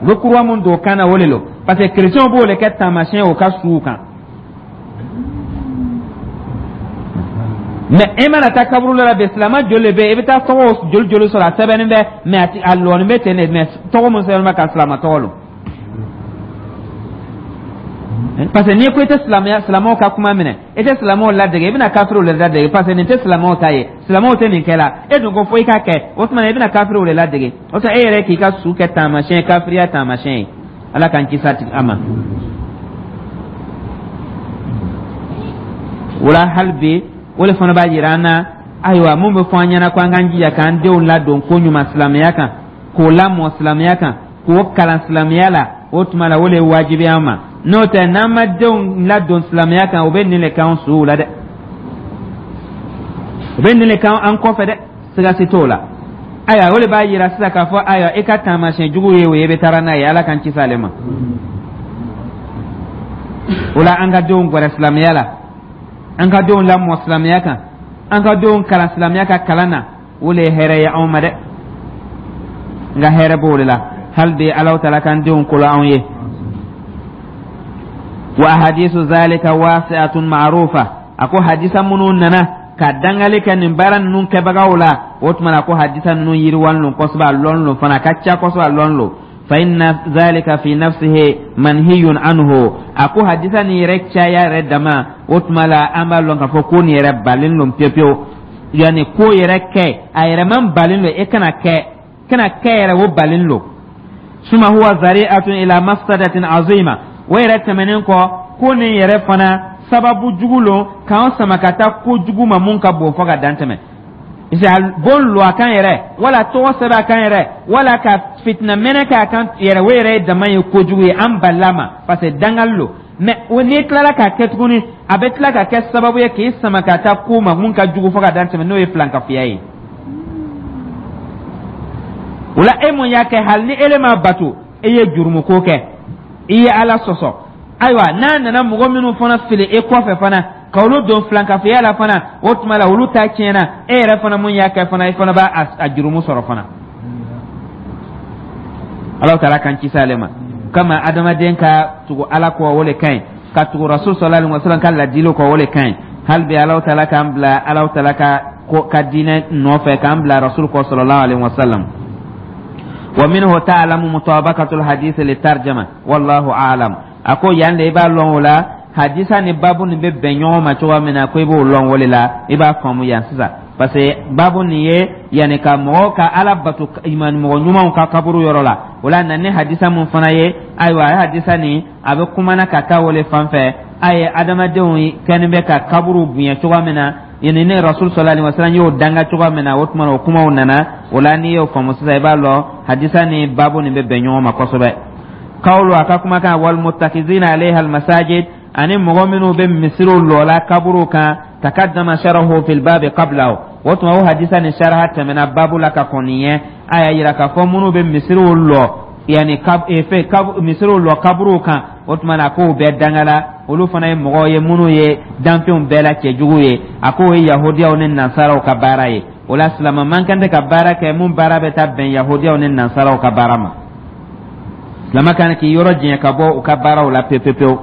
U bɛ kuruwa mun don o kan na, o de don, parce que kerecɛnw b'o de kɛ taamasiyɛn o ka suw kan. Mɛ e mana taa kaburu la bi, silamɛ joli de bɛ yen? I bɛ taa tɔgɔ joli joli sɔrɔ, a sɛbɛnnen bɛ, mɛ a a lɔnin bɛ ten de, mɛ tɔgɔ mun sɛbɛnnen bɛ ka silamɛ tɔgɔ lɔ, parce que n'i ko i tɛ silamɛya, silamɛw ka kuma minɛ, i tɛ silamɛw ladege, i bɛna kafiriw de ladege, parce que nin tɛ silamɛw ta ye, silamɛw tɛ nin kɛ la. E dun ko fo i k'a kɛ, o tuma na, i bɛna kafiriw de ladege. O tuma, e yɛrɛ k'i ka su kɛ taamasiyɛn, kafiriya taamasiyɛn ye. Ala k'an kisi a ma. O la, hali bi, o de fana b'a jira an na. Ayiwa, mun bɛ fɔ an ɲɛna ko an k'an jija k'an denw ladon ko ɲuman silamɛya kan, k'o lamɔ silamɛya kan, k'o kalan silamɛya la, o tuma la, o de ye wajibi an ma. N'o tɛ, n'an ma denw ladon silamɛya kan, o bɛ nin de k'an suw la dɛ, o bɛ nin de k'an kɔfɛ dɛ, siga si t'o la. Ayiwa, o de b'a jira sisan k'a fɔ, ayiwa, i ka taamasiyɛn jugu ye o ye, i bɛ taara n'a ye. Ala k'an kisi ale ma. O la, an ka denw gɛrɛ silamɛya la, an ka denw lamɔ silamɛya kan, an ka denw kalan silamɛya ka kalan na, o le ye hɛrɛ ye anw ma dɛ. Nka hɛrɛ b'o de la. Hali bi, Alahu taala k'an denw kolo anw ye. Wa hadisu zalika wasi'atun ma'rufa. A ko hadisa minnu nana ka dangali kɛ nin baara ninnu kɛbagaw la, o tuma na ko hadisa ninnu yiriwalen don kosɛbɛ, a lɔn lo fana, a ka ca kosɛbɛ, a lɔn lo. Fa inna zalika fi nafsihi manhiyun anhu. A ko hadisa nin yɛrɛ caya yɛrɛ dama, o tuma la an b'a lɔn k'a fɔ ko nin yɛrɛ balen don pewu pewu. Yani ko yɛrɛ kɛ a yɛrɛ man balen don, e kana kɛ, kana kɛ yɛrɛ, o balen don. Suma huwa zari'atun ila mafsadatin azima. O yɛrɛ tɛmɛnen kɔ, ko nin yɛrɛ fana sababu jugu lo k'an sama ka taa ko jugu ma mun ka bon fɔ ka dan tɛmɛ. Bon lo a kan yɛrɛ, wala tɔgɔ sɛbɛn a kan yɛrɛ, wala ka fitina mɛnɛ k'a kan yɛrɛ, o yɛrɛ ye dama ye kojugu ye, an balila ma, parce que dangali lo. Mais o n'i tilala k'a kɛ tuguni, a bɛ tila ka kɛ sababu ye k'i sama ka taa ko ma mun ka jugu fɔ ka dan tɛmɛ, n'o ye filankafoya ye. O la, e mun y'a kɛ, hali ni ele ma bato, e ye jurumuko kɛ, i ye Ala sɔsɔ. Ayiwa, n'a nana mɔgɔ minnu fana fili e kɔfɛ fana, ka olu don filankafoya la fana, o tuma la olu ta tiɲɛna. E yɛrɛ fana mun y'a kɛ fana, i fana b'a a jurumu sɔrɔ fana. Ala taala kan kisi ale ma. Kama adamaden ka tugu Ala kɔ, o le ka ɲi, ka tugu Rasul sallallahu alaihi wasallam ka ladili kɔ, o le ka ɲi. Hali bi Ala taala k'an bila Ala taala ka ka diinɛ nɔfɛ, k'an bila Rasul kɔ sallallahu alaihi wasallam. Wa minhu ta'lamu mutabaqatul hadith li tarjama, wallahu a'lam. A ko yan de i b'a lɔn o la, hadisa ni babu nin bɛ bɛn ɲɔgɔn ma cogoya min na, ko i b'o lɔn o de la, i b'a faamu yan sisan, parce que babu nin ye yanni ka mɔgɔ ka Ala bato mɔgɔ ɲumanw ka kaburu yɔrɔ la. O la na ni hadisa mun fana ye, ayiwa, a ye hadisa nin, a bɛ kumana ka taa o le fan fɛ. A ye adamadenw kɛlen bɛ ka kaburu bonya cogoya min na, yanni ne Rasul sallallahu alaihi wasallam y'o danga cogoya min na, o tuma na o kumaw nana o la. N'i y'o faamu sisan, i b'a lɔn hadisa ni babu nin bɛ bɛn ɲɔgɔn ma kosɛbɛ. Kawlu, a ka kumakan, wal muttakizina alayha al masajid, ani mɔgɔ minnu bɛ misiriw lɔla kaburu kan, takaddama sharahu fil babi qablahu. O tuma o hadisa ni sharaha tɛmɛna babu la ka kɔn nin ɲɛ. A y'a yira k'a fɔ minnu bɛ misiriw lɔ, yanni kab fɛn kab misiriw lɔ kaburuw kan, o tuma na k'o bɛɛ dangala. Olu fana ye mɔgɔw ye minnu ye danfɛnw bɛɛ la cɛjugu ye. A k'o ye yahudiyaw ni nansaraw ka baara ye. O la, silama man kan tɛ ka baara kɛ mun baara bɛ taa bɛn yahudiyaw ni nansaraw ka baara ma. Silama kan k'i yɔrɔ jɛɲɛ ka bɔ u ka baaraw la pewu pewu.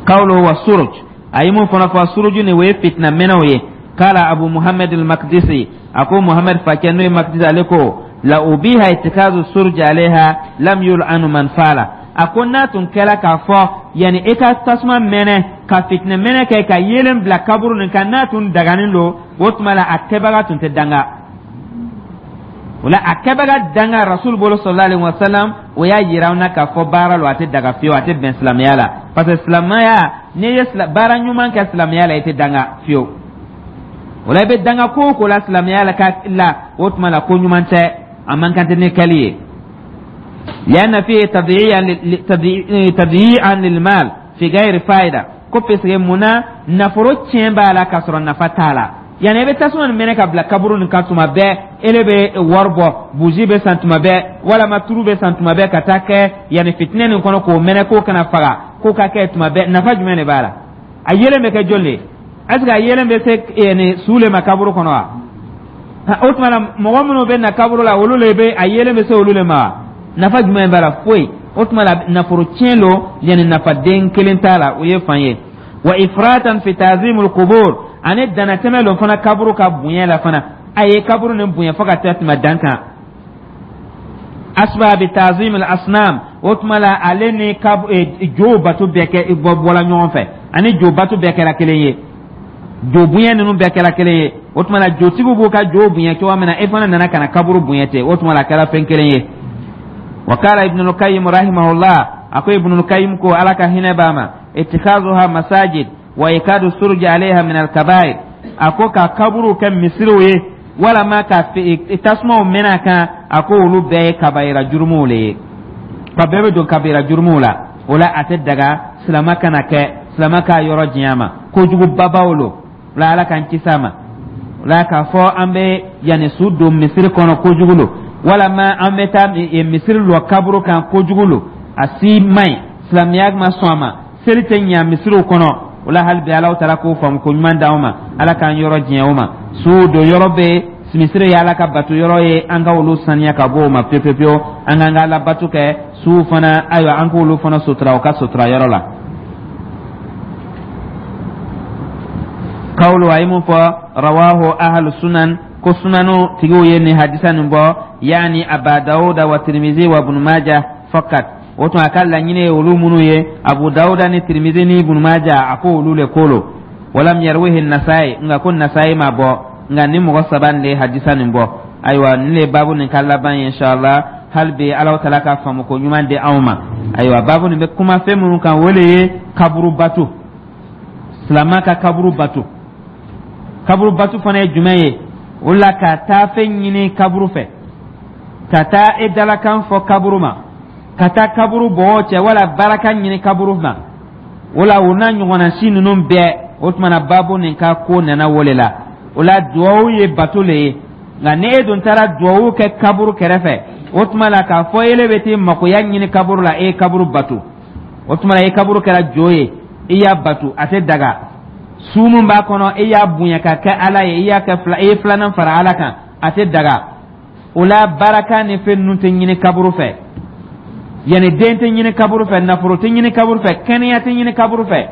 Kawlo wa suruj, a ye mun fana fɔ, suruju ni o ye fitina mɛnɛw ye. Kala Abu Muhammad al-Makdisi, a ko Muhammad fakɛ n'o ye Makdisi, ale ko la ubiha itikazu suruj alaiha lam yul'anu man fala. A ko n'a tun kɛra k'a fɔ yanni e ka tasuma mɛnɛ ka fitinɛ mɛnɛ kɛ ka yeelen bila kaburu nin kan, n'a tun daganen don, o tuma la a kɛbaga tun tɛ danga. O la, a kɛbaga danga Rasul bolo sallallahu alaihi wasallam, o y'a yira an na k'a fɔ baara lo, a tɛ daga fiyewu, a tɛ bɛn silamɛya la, parce que silamɛya, n'i ye baara ɲuman kɛ silamɛya la, i tɛ danga fiyewu. O la, i bɛ danga ko o ko la silamɛya la ka la, o tuma la ko ɲuman tɛ, a man kan tɛ ni kɛli ye. لأن فيه تضييعا للمال في غير فائدة. Ko parce que munna nafolo tiɲɛ b'a la k'a sɔrɔ nafa t'a la? Yanni i bɛ tasuma nin mɛnɛ ka bila kaburu nin kan tuma bɛɛ, ele bɛ wari bɔ, bougie bɛ san tuma bɛɛ, walama turu bɛ san tuma bɛɛ, ka taa kɛ yanni fitinɛ nin kɔnɔ k'o mɛnɛ k'o kana faga, k'o ka kɛ tuma bɛɛ, nafa jumɛn de b'a la? A yelen bɛ kɛ joli de? Est ce que a yelen bɛ se yanni su le ma kaburu kɔnɔ wa? O tuma na, mɔgɔ minnu bɛ na kaburu la, olu le bɛ a yelen bɛ se olu le ma wa? Nafa jumɛn b'a la? Foyi. O tuma la nafolo tiɲɛ lo, yanni nafa den kelen t'a la. O ye fan ye. Wa ifratan fi ta'zimul qubur, ani danatɛmɛ lo fana kaburu ka bonya la fana. A ye kaburu nin bonya fo ka taa tɛmɛ dan kan. Asba bi ta'zim al asnam, o tuma la ale ni kab jo bato bɛɛ kɛ bɔ bɔla ɲɔgɔn fɛ, ani jo bato bɛɛ kɛra kelen ye, jo bonya ninnu bɛɛ kɛra kelen ye. O tuma la jotigiw b'u ka jo bonya cogoya min na, e fana nana ka na kaburu bonya ten, o tuma la a kɛra fɛn kelen ye. Wa kala Ibn al-Qayyim rahimahullah, ako Ibn al-Qayyim ko, Ala ka hinɛ b'a ma, ittikhazuha masajid wa ikadu suruj alaiha min al-kaba'ir. A ko ka kaburu kɛ misiriw ye, walama ka tasumaw mɛnɛ a kan, a ko olu bɛɛ ye kabayira jurumuw le ye, ka bɛɛ bɛ don kabira jurumuw la. O la, a tɛ daga silama kana kɛ, silama k'a yɔrɔ diɲɛ ma, kojugu babaw lo. O la, Ala k'an kisi a ma. O la, k'a fɔ an bɛ yanni su don misiri kɔnɔ, kojugu lo, walama an bɛ taa misiri lɔ kaburu kan, kojugu lo, a si man ɲi, silamɛya ma sɔn a ma, seli tɛ ɲa misiriw kɔnɔ. O la, hali bi Ala taala k'o faamu ko ɲuman d'anw ma, Ala k'an yɔrɔ diɲɛ o ma. Su don yɔrɔ bɛ misiri ye Ala ka bato yɔrɔ ye, an ka olu saniya ka bɔ o ma pewu pewu pewu, an k'an ka Ala bato kɛ. Su fana, ayiwa, an k'olu fana sutura u ka sutura yɔrɔ la. Qawlu, a ye mun fɔ? Rawahu ahlu sunan, ko sunanu tigiw ye nin hadisa nin bɔ, yani Aba Dawuda wa Tirimizi wa Ibn Majah fakat. O tuma a ka laɲini ye olu minnu ye, Abu Dawuda ni Tirimizi ni Ibn Majah, a ko olu le ko lo. Walam yarwihi Nasai, nka ko Nasai ma bɔ, nka ni mɔgɔ saba nin de ye hadisa nin bɔ. Ayiwa, nin le baabu nin ka laban ye. Inshallah, hali bi Ala taala ka faamu ko ɲuman di anw ma. Ayiwa, baabu nin bɛ kuma fɛn minnu kan, o le ye kaburu bato, silama ka kaburu bato. Kaburu bato fana ye jumɛn ye? O la ka taa fɛn ɲini kaburu fɛ, ka taa e dalakan fɔ kaburu ma, ka taa kaburu bɔgɔ cɛ wala baraka ɲini kaburu ma, o la o n'a ɲɔgɔnna si ninnu bɛɛ. O tuma na baabu nin ka ko nana o le la. O la duwawu ye bato le ye, nka ni e dun taara duwawu kɛ kaburu kɛrɛfɛ, o tuma la k'a fɔ ele bɛ t'i makoya ɲini kaburu la, e ye kaburu bato. O tuma la e kaburu kɛra jo ye, i y'a bato, a tɛ daga. Su min b'a kɔnɔ, e y'a bonya ka kɛ Ala ye, i y'a kɛ fila, i ye filanan fara Ala kan, a tɛ daga. O la baraka ni fɛn ninnu tɛ ɲini kaburu fɛ, yanni den tɛ ɲini kaburu fɛ, nafolo tɛ ɲini kaburu fɛ, kɛnɛya tɛ ɲini kaburu fɛ,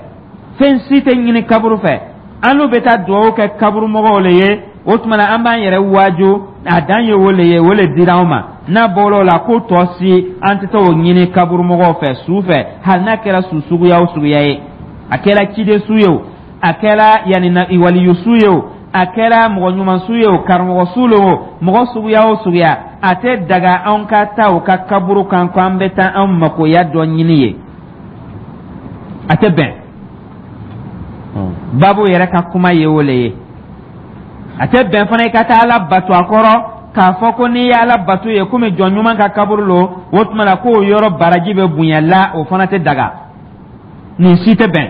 fɛn si tɛ ɲini kaburu fɛ. An n'u bɛ taa dugawu kɛ kaburu mɔgɔw le ye. O tuma na an b'an yɛrɛ waaju, a dan ye o le ye, o le dira anw ma. N'a bɔra o la, ko tɔ si an tɛ taa o ɲini kaburu mɔgɔw fɛ su fɛ, hali n'a kɛra su suguya o suguya ye. A kɛra ciden su ye o, a kɛra yanni na waliyu su ye o, a kɛra mɔgɔ ɲuman su ye o, karamɔgɔ su le o, mɔgɔ suguya o suguya, a tɛ daga anw ka taa o ka kaburu kan ko an bɛ taa an makoya dɔ ɲini ye, a tɛ bɛn. Baabu yɛrɛ ka kuma ye o le ye. A tɛ bɛn fana i ka taa Ala bato a kɔrɔ, k'a fɔ ko n'i ye Ala bato ye komi jɔn ɲuman ka kaburu lo, o tuma la k'o yɔrɔ baraji bɛ bonya la, o fana tɛ daga. Nin si tɛ bɛn.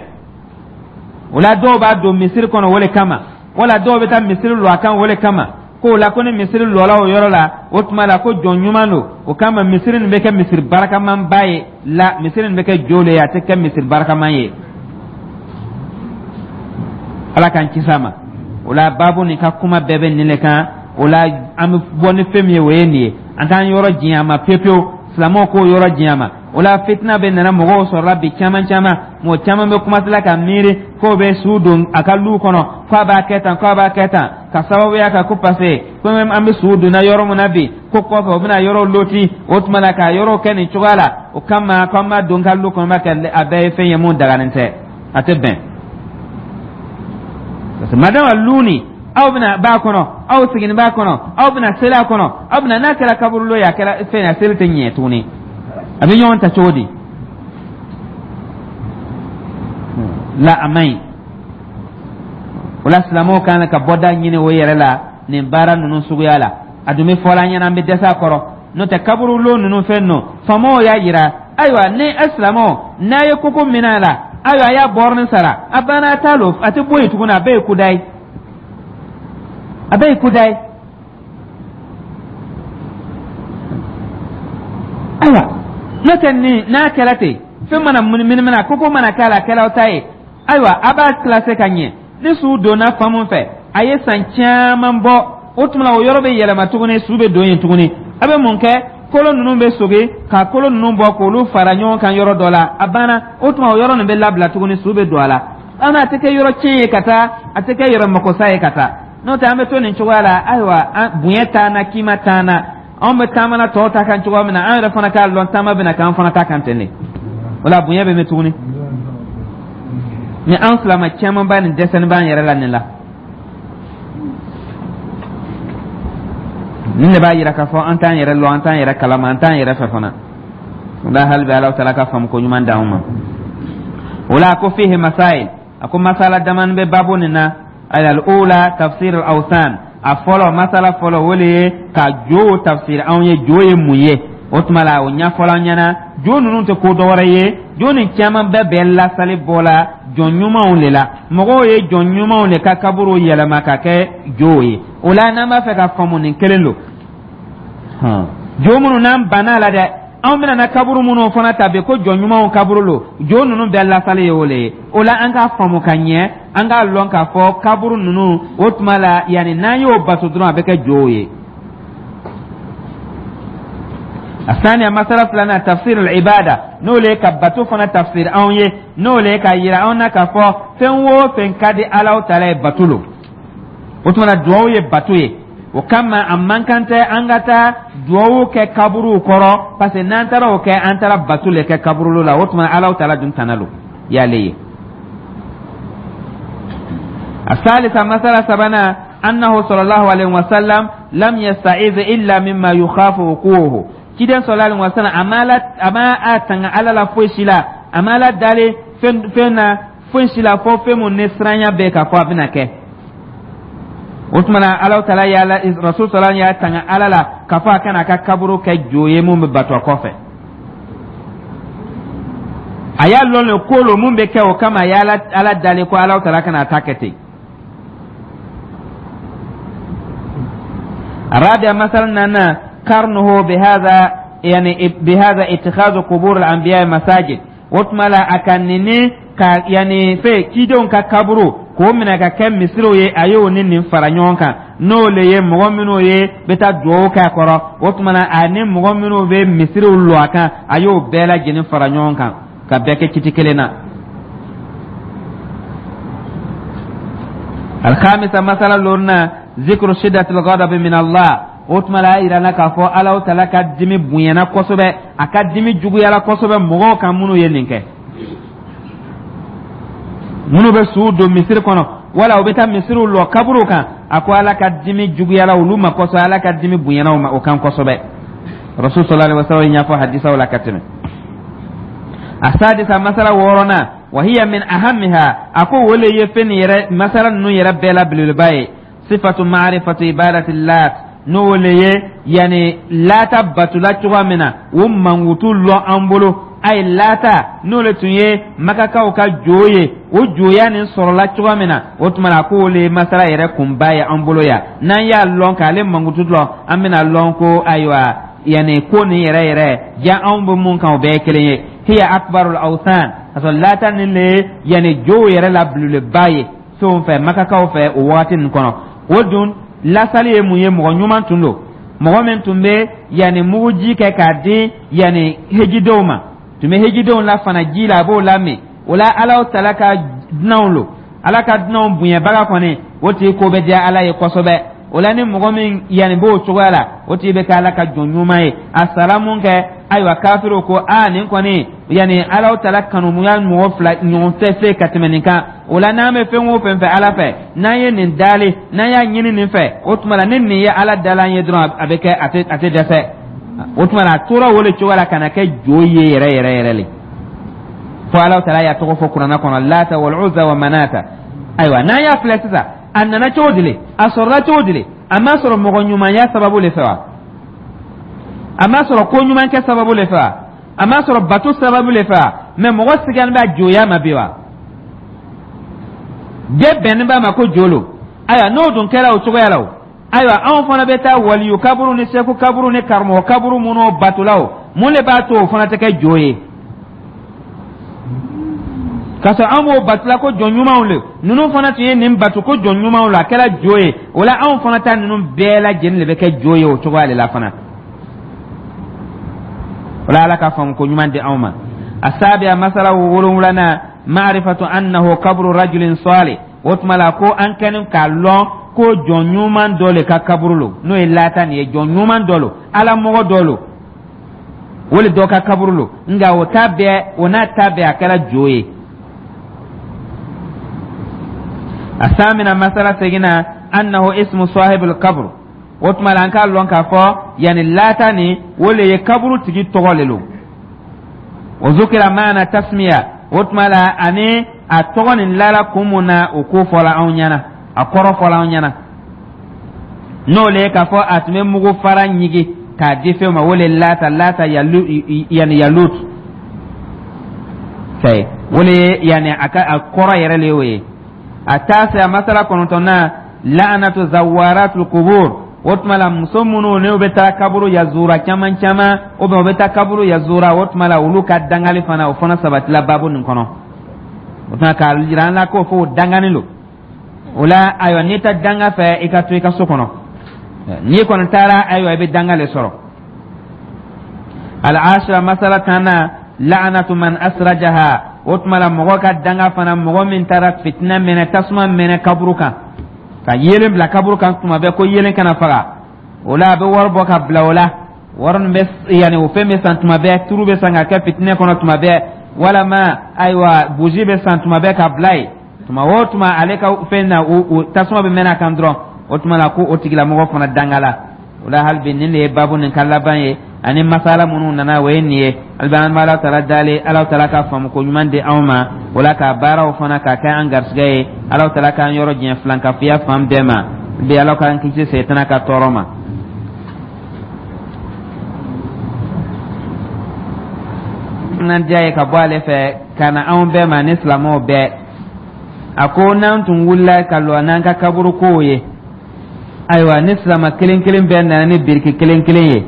O la dɔw b'a don misiri kɔnɔ o le kama, wala dɔw bɛ taa misiri lɔ a kan o le kama, k'o la ko ni misiri lɔla o yɔrɔ la, o tuma la ko jɔn ɲuman don, o kama misiri nin bɛ kɛ misiri barakamanba ye. La misiri nin bɛ kɛ jo le ye, a tɛ kɛ misiri barakaman ye. Ala k'an kisi a ma. O la baabu nin ka kuma bɛɛ bɛ nin le kan. O la an bɛ bɔ ni fɛn min ye, o ye nin ye. An t'an yɔrɔ janya a ma pewu pewu, silamɛw k'o yɔrɔ janya ma. O la fitina bɛ nana mɔgɔw sɔrɔla bi caman caman, mɔgɔ caman bɛ kumasila ka miiri k'o bɛ su don a ka lu kɔnɔ, k'a b'a kɛ tan, k'a b'a kɛ tan, ka sababuya kan ko parce que ko an bɛ su donna yɔrɔ min na bi, ko kɔfɛ o bɛna yɔrɔ loti. O tuma la ka yɔrɔ kɛ nin cogoya la, o kama k'an b'a don ka lu kɔnɔ, b'a kɛ a bɛɛ ye fɛn ye mun daganen tɛ, a tɛ bɛn. Parce que madama lu nin aw bɛna b'a kɔnɔ, aw sigini b'a kɔnɔ, aw bɛna seli a kɔnɔ, aw bɛna n'a kɛra kaburulo ye, a kɛra fɛn ye, a seli tɛ ɲɛ tuguni. A bɛ ɲɔgɔn ta cogo di? La a man ɲi. O la silamɛw kan ka bɔda ɲini o yɛrɛ la nin baara ninnu suguya la. A dun bɛ fɔla an ɲɛna, an bɛ dɛsɛ a kɔrɔ. N'o tɛ kaburulo ninnu fɛn ninnu, faamaw y'a yira. Ayiwa, ni a silamɛw n'a ye koko minɛ a la, ayiwa, a y'a bɔrɔnin sara, a banna, a t'a lo, a tɛ bɔ yen tuguni, a bɛɛ ye kuda ye, a bɛɛ ye kuda ye. Ayiwa, n'o tɛ nin n'a kɛra ten, fɛn mana munumunu, koko mana k'a la, a kɛra aw ta ye. Ayiwa, a b'a kilase ka ɲɛ. Ni su donna fan mun fɛ, a ye san caman bɔ, o tuma o yɔrɔ bɛ yɛlɛma tuguni, su bɛ don yen tuguni. A bɛ mun kɛ? Kolo ninnu bɛ soge ka kolo ninnu bɔ k'olu fara ɲɔgɔn kan yɔrɔ dɔ la, a banna. O tuma o yɔrɔ nin bɛ labila tuguni, su bɛ don a la. An a tɛ kɛ yɔrɔ tiɲɛ ye ka taa, a tɛ kɛ yɔrɔ makosa ye ka taa. N'o tɛ an bɛ to nin cogoya la. Ayiwa, an bonya t'an na, kima t'an na. Anw bɛ taama na tɔw ta kan cogoya min na, an yɛrɛ fana k'a lɔn taama bɛna k'an fana ta kan ten de. O la bonya bɛ mɛn tuguni. Ni an silama caman b'a nin dɛsɛni b'an yɛrɛ la nin la, nin de b'a yira k'a fɔ an t'an yɛrɛ lɔn, an t'an yɛrɛ kalama, an t'an yɛrɛ fɛ fana. O la hali bi Ala taala ka faamu ko ɲuman d'anw ma. O la a ko fihi masail, a ko masala damani bɛ baabu nin na. Al-ula tafsir al-awsan, a fɔlɔ, masala fɔlɔ, o le ye ka jo tafsir anw ye, jo ye mun ye. O tuma la o ɲɛfɔla an ɲɛna, jo ninnu tɛ ko dɔwɛrɛ ye, jo nin caman bɛɛ bɛ lasali bɔ la jɔn ɲumanw de la. Mɔgɔw ye jɔn ɲumanw de ka kaburu yɛlɛma ka kɛ jow ye. O la n'an b'a fɛ ka faamu, nin kelen don. Jo minnu n'an banna a la dɛ, anw bɛna na kaburu minnu fana ta bi ko jɔn ɲumanw kaburu lo, jo ninnu bɛɛ lasali ye o le ye. O la an k'a faamu ka ɲɛ, an k'a lɔn k'a fɔ kaburu ninnu, o tuma la yanni n'an y'o bato dɔrɔn, a bɛ kɛ jow ye. الثانية مسألة لنا تفسير العبادة. N'o le ye ka bato fana tafsir anw ye, n'o le ye k'a yira anw na k'a fɔ fɛn o fɛn ka di Alahu taala ye, bato lo. O tuma na, duwawu ye bato ye. O kama, a man kan tɛ an ka taa duwawu kɛ kaburuw kɔrɔ, parce que n'an taara o kɛ, an taara bato le kɛ kaburu la. O tuma, Alahu taala dun tana lo y'ale ye. الثالثة مسألة سبنا أنه صلى الله عليه وسلم لم يستعيذ إلا مما يخاف وقوعه. Ciden صلى الله عليه وسلم a ma a tanga Ala la foyi si la, a ma Ala dali fɛn fɛn na foyi si la, fɔ fɛn mun ni siranya bɛ k'a fɔ a bɛna kɛ. O tuma na, Ala taala y'a rasul sɔrɔ y'a tanga Ala la k'a fɔ a kana a ka kaburu kɛ jo ye mun bɛ bato a kɔfɛ. A y'a lɔn le ko lo mun bɛ kɛ, o kama a ye Ala dali ko Ala taala kana a ta kɛ ten. الرابعة مثلا أن قرنه بهذا، يعني بهذا اتخاذ قبور الأنبياء مساجد. وتملا أكنني ka yani fɛ cidenw ka kaburu k'o minɛ ka kɛ misiriw ye, a y'o ni nin fara ɲɔgɔn kan, n'o le ye mɔgɔ minnu ye bɛ taa duwawu k'a kɔrɔ. O tuma na, ani mɔgɔ minnu bɛ misiriw lɔ a kan, a y'o bɛɛ lajɛlen fara ɲɔgɔn kan ka bɛɛ kɛ kiti kelen na. الخامسة مسألة لورنا ذكر شدة الغضب من الله. O tuma la, a yira la k'a fɔ Alahu taala ka dimi bonyana kosɛbɛ, a ka dimi juguyala kosɛbɛ mɔgɔw kan minnu ye nin kɛ, minnu bɛ suw don misiri kɔnɔ wala u bɛ taa misiriw lɔ kaburuw kan. A ko Ala ka dimi juguyala olu ma kosɛbɛ, Ala ka dimi bonyana o ma o kan kosɛbɛ. Rasul صلى الله عليه وسلم y'a fɔ hadisaw la ka tɛmɛ. السادسة masala wɔɔrɔnan وهي من أهمها, a ko o le ye fɛn nin yɛrɛ masala ninnu yɛrɛ bɛɛ la belebeleba ye, صفة معرفة عبادة اللات, n'o le ye yani Laata batula cogoya min na, o mankutu lɔ an bolo. A ye Laata, n'o le tun ye Makakaw ka jo ye, o joya nin sɔrɔla cogoya min na, o tuma na, k'o le ye masala yɛrɛ kunba ye an bolo yan. N'an y'a lɔn k'ale mankutu lɔn, an bɛna lɔn ko ayiwa, yani ko nin yɛrɛ yɛrɛ ja anw bɛ mun kan, o bɛɛ ye kelen ye. هي أكبر الأوثان, ka sɔrɔ Laata nin le ye yani jow yɛrɛ la belebeleba ye fɛnw fɛ, Makakaw fɛ o wagati nin kɔnɔ. O dun lasali ye mun ye? Mɔgɔ ɲuman tun don, mɔgɔ min tun bɛ yanni muguji kɛ k'a di yanni hejidenw ma, tun bɛ hejidenw la fana ji la, a b'o lamin. O la, Alahu taala ka dunanw lo, Ala ka dunanw bonyabaga kɔni, o tigi ko bɛ diya Ala ye kosɛbɛ. O la, ni mɔgɔ min yanni b'o cogoya la, o tigi bɛ kɛ Ala ka jɔn ɲuman ye. A sara mun kɛ? Ayiwa, kafiriw ko aa, nin kɔni yanni Alahu taala kanumuya mɔgɔ fila ɲɔgɔn tɛ se ka tɛmɛ nin kan. O la, n'an bɛ fɛn o fɛn fɛ Ala fɛ, n'an ye nin dali, n'an y'a ɲini nin fɛ, o tuma la, ni nin ye Ala dalan ye dɔrɔn, a bɛ kɛ, a tɛ a tɛ dɛsɛ. O tuma la, a tora o de cogoya la ka na kɛ jo ye yɛrɛ yɛrɛ yɛrɛ le, fo Alahu taala y'a tɔgɔ fɔ Kuranɛ kɔnɔ: Lata والعزى ومناة. Ayiwa, n'an y'a filɛ sisan, a nana cogo di le? A sɔrɔla cogo di le? A ma sɔrɔ mɔgɔ ɲumanya sababu le fɛ wa? A ma sɔrɔ ko ɲuman kɛ sababu le fɛ wa? A ma sɔrɔ bato sababu le fɛ wa? Mɛ mɔgɔ sigilen bɛ a joya ma bi wa? Bɛɛ bɛnnen b'a ma ko jo lo. Ayiwa, n'o dun kɛra o cogoya la, o ayiwa, anw fana bɛ taa waliyu kaburu ni seku kaburu ni karamɔgɔ kaburu minnu batola, o mun de b'a to o fana tɛ kɛ jo ye, k'a sɔrɔ an b'o batula ko jɔn ɲumanw le? Ninnu fana tun ye nin bato ko jɔn ɲumanw la, a kɛra jo ye. O la, anw fana ta ninnu bɛɛ lajɛlen de bɛ kɛ jo ye o cogoya de la fana. O la, Ala ka faamu ko ɲuman di anw ma. السابعة masala wolonwulanan معرفة أنه قبر رجل صالح. O tuma la, ko an kɛlen k'a lɔn ko jɔn ɲuman dɔ le ka kaburu lo, n'o ye Laata nin ye, jɔn ɲuman dɔ lo, Ala mɔgɔ dɔ lo, o le dɔ ka kaburu lo. Nka o ta bɛɛ, o n'a ta bɛɛ, a kɛra jo ye. الثامنة masala seginna أنه اسم صاحب القبر. O tuma la, an k'a lɔn k'a fɔ yanni Laata nin, o le ye kaburu tigi tɔgɔ le lo. وذكر معنى تسمية. O tuma la, ani a tɔgɔ nin lala kun mun na, o ko fɔla anw ɲɛna, a kɔrɔ fɔla anw ɲɛna, n'o le ye k'a fɔ a tun bɛ mugu fara ɲigi k'a di fɛn ma, o le Laata, Laata yalu, yani yalut fɛ, o le ye yani a ka a kɔrɔ yɛrɛ le y'o ye. التاسعة masala kɔnɔntɔnna لعنة زوارات القبور. O tuma la, muso minnu n'u bɛ taa kaburu yazura caman caman, ou bien u bɛ taa kaburu yazura, o tuma la, olu ka dangali fana, o fana sabatila baabu nin kɔnɔ. O tuma k'a jira an la k'o fɔ o dangani lo. O la, ayiwa, n'i ta danga fɛ, i ka to i ka so kɔnɔ. N'i kɔni taara, ayiwa, i bɛ danga le sɔrɔ. العاشرة masala tanna La'anatu man asrajaha. O tuma la, mɔgɔ ka danga fana, mɔgɔ min taara fitinɛ mɛnɛ, tasuma mɛnɛ kaburu kan, ka yelen bila kaburu kan tuma bɛɛ ko yelen kana faga. O la, a bɛ wari bɔ ka bila o la, wari nin bɛ yanni o fɛn bɛ san tuma bɛɛ, turu bɛ san ka kɛ fitinɛ kɔnɔ tuma bɛɛ, walama ayiwa, bougie bɛ san tuma bɛɛ ka bila yen. Tuma o tuma, ale ka fɛn na, o tasuma bɛ mɛnɛ a kan dɔrɔn. O tuma la, ko o tigilamɔgɔ fana dangala o la. Hali bi, nin de ye baabu nin ka laban ye, ani masala minnu nana, o ye nin ye. Hali bi, an bɛ Ala taala dali, Ala taala ka faamuko ɲuman di anw ma, o la ka baaraw fana ka kɛ an garisɛgɛ ye. Ala taala k'an yɔrɔ janya filankafoya fan bɛɛ ma bi. Ala k'an kisi sɛtana ka tɔɔrɔ ma. N'an diya ye ka bɔ ale fɛ ka na anw bɛɛ ma ni silamɛw bɛɛ. A ko n'an tun wulila ka lɔ n'an ka kaburu kow ye, ayiwa, ni silama kelen kelen bɛɛ nana ni biriki kelen kelen ye,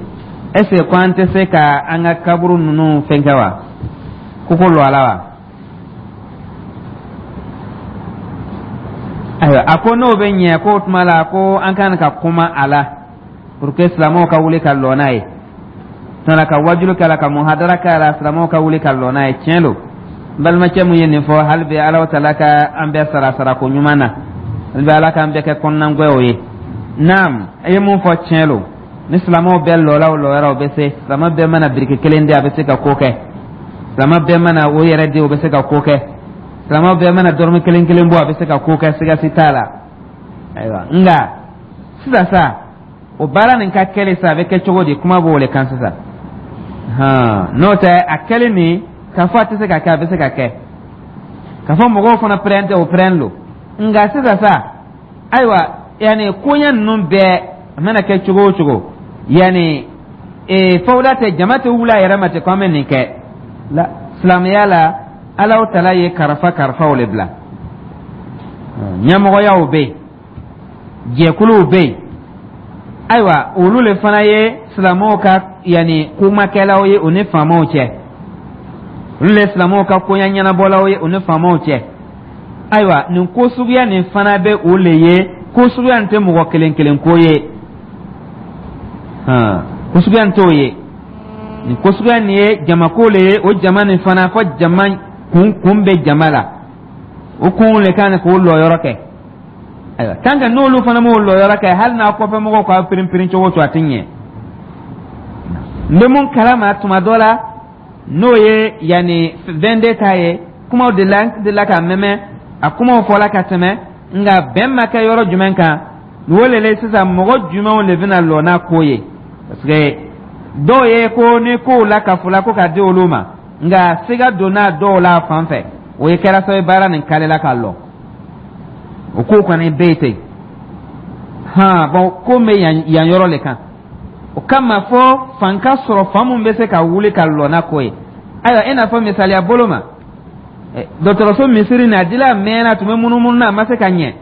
est ce que ko an tɛ se ka an ka kaburu ninnu fɛnkɛ wa, koko lɔ a la wa? Ayiwa, a ko n'o bɛ ɲɛ, k'o tuma la ko an kan ka kuma a la pour que silamɛw ka wuli ka lɔ n'a ye tuma ka wajulu k'a la, ka muhadara k'a la, silamɛw ka wuli ka lɔ n'a ye. Tiɲɛ don, n balimakɛ mun ye nin fɔ. Hali bi, Ala taala ka an bɛɛ sara sarako ɲuman na. Hali bi, Ala k'an bɛɛ kɛ kɔnɔnagwɛw ye. Naam, i ye mun fɔ, tiɲɛ don. Ni silamɛw bɛɛ lɔla o lɔyɔrɔ, o bɛ se. Silamɛ bɛɛ mana biriki kelen di, a bɛ se ka ko kɛ. Silamɛ bɛɛ mana o yɛrɛ di, o bɛ se ka ko kɛ. Silamɛ bɛɛ mana dɔrɔmɛ kelen kelen bɔ, a bɛ se ka ko kɛ, siga si t'a la. Ayiwa, nka sisan sa, o baara nin ka kɛli sa, a bɛ kɛ cogo di? Kuma b'o le kan sisan. N'o tɛ, a kɛli nin k'a fɔ a tɛ se ka kɛ, a bɛ se ka kɛ. K'a fɔ mɔgɔw fana pɛrɛn tɛ, o pɛrɛn lo. Nka sisan sa, ayiwa, yanni koɲɛ ninnu bɛɛ a mana kɛ cogo o cogo, yanni ee fawuda tɛ, jama tɛ wuli a yɛrɛ ma ten ko an bɛ nin kɛ la. Silamɛya la, Alaw tala ye karafa karafaw le bila. Ɲɛmɔgɔyaw bɛ yen, jɛkuluw bɛ yen. Ayiwa, olu le fana ye silamɛw ka yanni kumakɛlaw ye u ni faamaw cɛ. Olu le silamɛw ka koɲɛ ɲɛnabɔlaw ye u ni faamaw cɛ. Ayiwa, nin ko suguya nin fana bɛ o le ye. Ko suguya nin tɛ mɔgɔ kelen kelen ko ye, ko suguya nin t'o ye. Nin ko suguya nin ye jamako le ye. O jama nin fana, fɔ jama kun kun bɛ jama la, o kun le kan k'o lɔyɔrɔ kɛ. Ayiwa, tant que n'olu fana m'o lɔyɔrɔ kɛ, hali n'a kɔfɛ mɔgɔw k'a pirin-pirin cogo o cogo, a tɛ ɲɛ. N bɛ mun kalama tuma dɔ la, n'o ye yanni vingt-deux ta ye, kumaw de la de la ka mɛmɛ, a kumaw fɔla ka tɛmɛ, nka bɛn ma kɛ yɔrɔ jumɛn kan. O le la sisan, mɔgɔ jumɛnw de bɛna lɔ n'a ko ye? Parce que dɔw ye ko ni kow la ka fɔ la ko ka di olu ma, nka siga donna dɔw la fan fɛ, o ye kɛra sababu baara nin kalela ka lɔ. O ko kɔni bɛ yen ten. Han, bɔn, ko bɛ yan yan yɔrɔ le kan. O kama, fɔ fan ka sɔrɔ, fan mun bɛ se ka wuli ka lɔ n'a ko ye. Ayiwa, i n'a fɔ misaliya bolo ma, dɔgɔtɔrɔso misiri nin, a dila a mɛnna, a tun bɛ munumunu na, a ma se ka ɲɛ.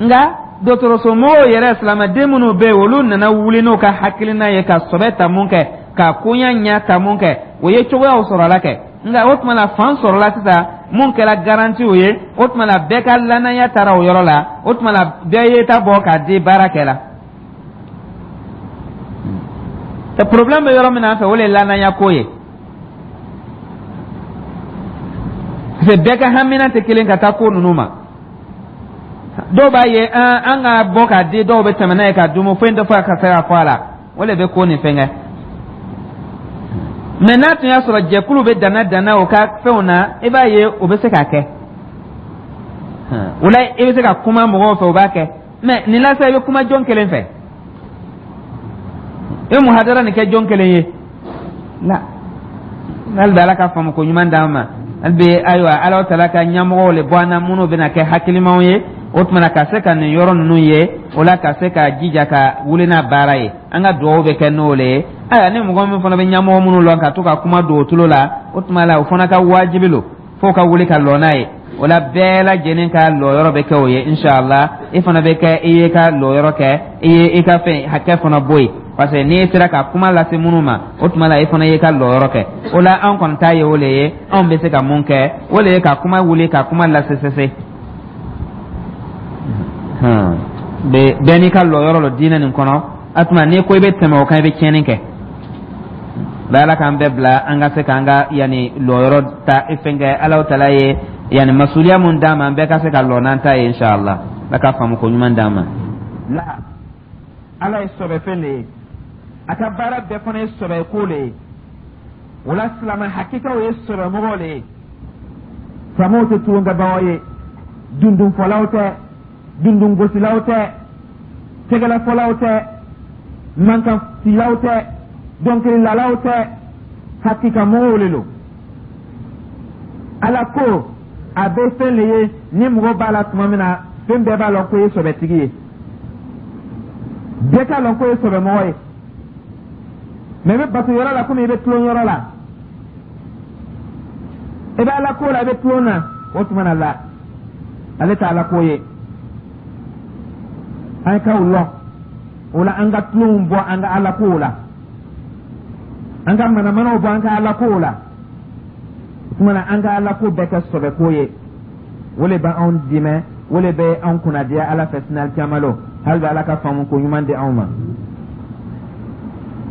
Nka dɔgɔtɔrɔso mɔgɔw yɛrɛ, silamɛden minnu bɛ yen, olu nana wuli n'u ka hakilina ye ka sɔbɛ ta mun kɛ, ka koɲa ɲɛ ta mun kɛ, o ye cogoyaw sɔrɔla kɛ. Nka o tuma la, fan sɔrɔla sisan mun kɛra garantiw ye. O tuma la, bɛɛ ka lanaya taara o yɔrɔ la. O tuma la, bɛɛ ye ta bɔ k'a di baara kɛ la. Problème bɛ yɔrɔ min na an fɛ, o de ye lanaya ko ye, parce que bɛɛ ka hamina tɛ kelen ka taa ko ninnu ma. Dɔw b'a ye an an ka bɔ k'a di, dɔw bɛ tɛmɛ n'a ye k'a dumu, foyi tɛ fɔ ka se ka fɔ a la. O de bɛ ko nin fɛn kɛ. Mɛ n'a tun y'a sɔrɔ jɛkulu bɛ danna danna o ka fɛnw na, i b'a ye o bɛ se k'a kɛ. O la, i bɛ se ka kuma mɔgɔw fɛ, o b'a kɛ. Mɛ nin la sa, i bɛ kuma jɔn kelen fɛ? I bɛ muhadara nin kɛ jɔn kelen ye la? Hali bi, Ala ka faamu ko ɲuman d'an ma. Hali bi, ayiwa, Ala taala ka ɲɛmɔgɔw le bɔ an na minnu bɛna kɛ hakilimaw ye. O tuma na, ka se ka nin yɔrɔ ninnu ye, o la ka se ka jija ka wuli n'a baara ye. An ka dugawu bɛ kɛ n'o le ye. Ayiwa, ni mɔgɔ min fana bɛ ɲɛmɔgɔ minnu lɔn ka to ka kuma don o tulo la, o tuma la o fana ka wajibi lo f'o ka wuli ka lɔ n'a ye. O la, bɛɛ lajɛlen ka lɔyɔrɔ bɛ kɛ o ye, inshallah. I fana bɛ kɛ, i ye ka lɔyɔrɔ kɛ, i ye i ka fɛn hakɛ fana bɔ yen, parce que n'i sera ka kuma lase minnu ma, o tuma la i fana y'i ka lɔyɔrɔ kɛ. O la, an kɔni ta ye o le ye. Anw bɛ se ka mun kɛ? O le ye ka kuma wuli, ka kuma lase sese. Bɛɛ n'i ka lɔyɔrɔ lɔ diinɛ nin kɔnɔ. A tuma, n'i ko i bɛ tɛmɛ o kan, i bɛ tiɲɛni kɛ. Bɛ Ala k'an bɛɛ bila an ka se k'an ka yanni lɔyɔrɔ ta fɛn kɛ Alahu taala ye yanni masuliya mun d'an ma, an bɛɛ ka se ka lɔ n'an ta ye, inshallah. Ala ka faamu ko ɲuman d'an ma. La, Ala ye sɔbɛfɛn de ye, a ka baara bɛɛ fana ye sɔbɛ ko le ye. O la, silamɛ hakikaw ye sɔbɛmɔgɔw le ye. Silamɛw tɛ tulonkɛbagaw ye, dundunfɔlaw tɛ, dundungosilaw tɛ, tɛgɛlɛfɔlaw tɛ, mankanfilaw tɛ, dɔnkililalaw tɛ, hakikamɔgɔw le lo. Ala ko a bɛ fɛn le ye ni mɔgɔ b'a la tuma min na, fɛn bɛɛ b'a lɔn ko ye sɔbɛtigi ye, bɛɛ k'a lɔn ko ye sɔbɛmɔgɔ ye. Mɛ i bɛ bato yɔrɔ la komi i bɛ tulon yɔrɔ la, i bɛ Ala ko la, i bɛ tulon na, o tuma na la ale tɛ Ala ko ye. An k'aw lɔn o la, an ka tulonw bɔ an ka Ala kow la, an ka manamanaw bɔ an ka Ala kow la. O tuma na, an ka Ala ko bɛɛ kɛ sɔbɛ ko ye. O le bɛ anw dɛmɛ, o le bɛ anw kunnadiya Ala fɛ sini alikiyama lon. Hali bi Ala ka faamu ko ɲuman di anw ma.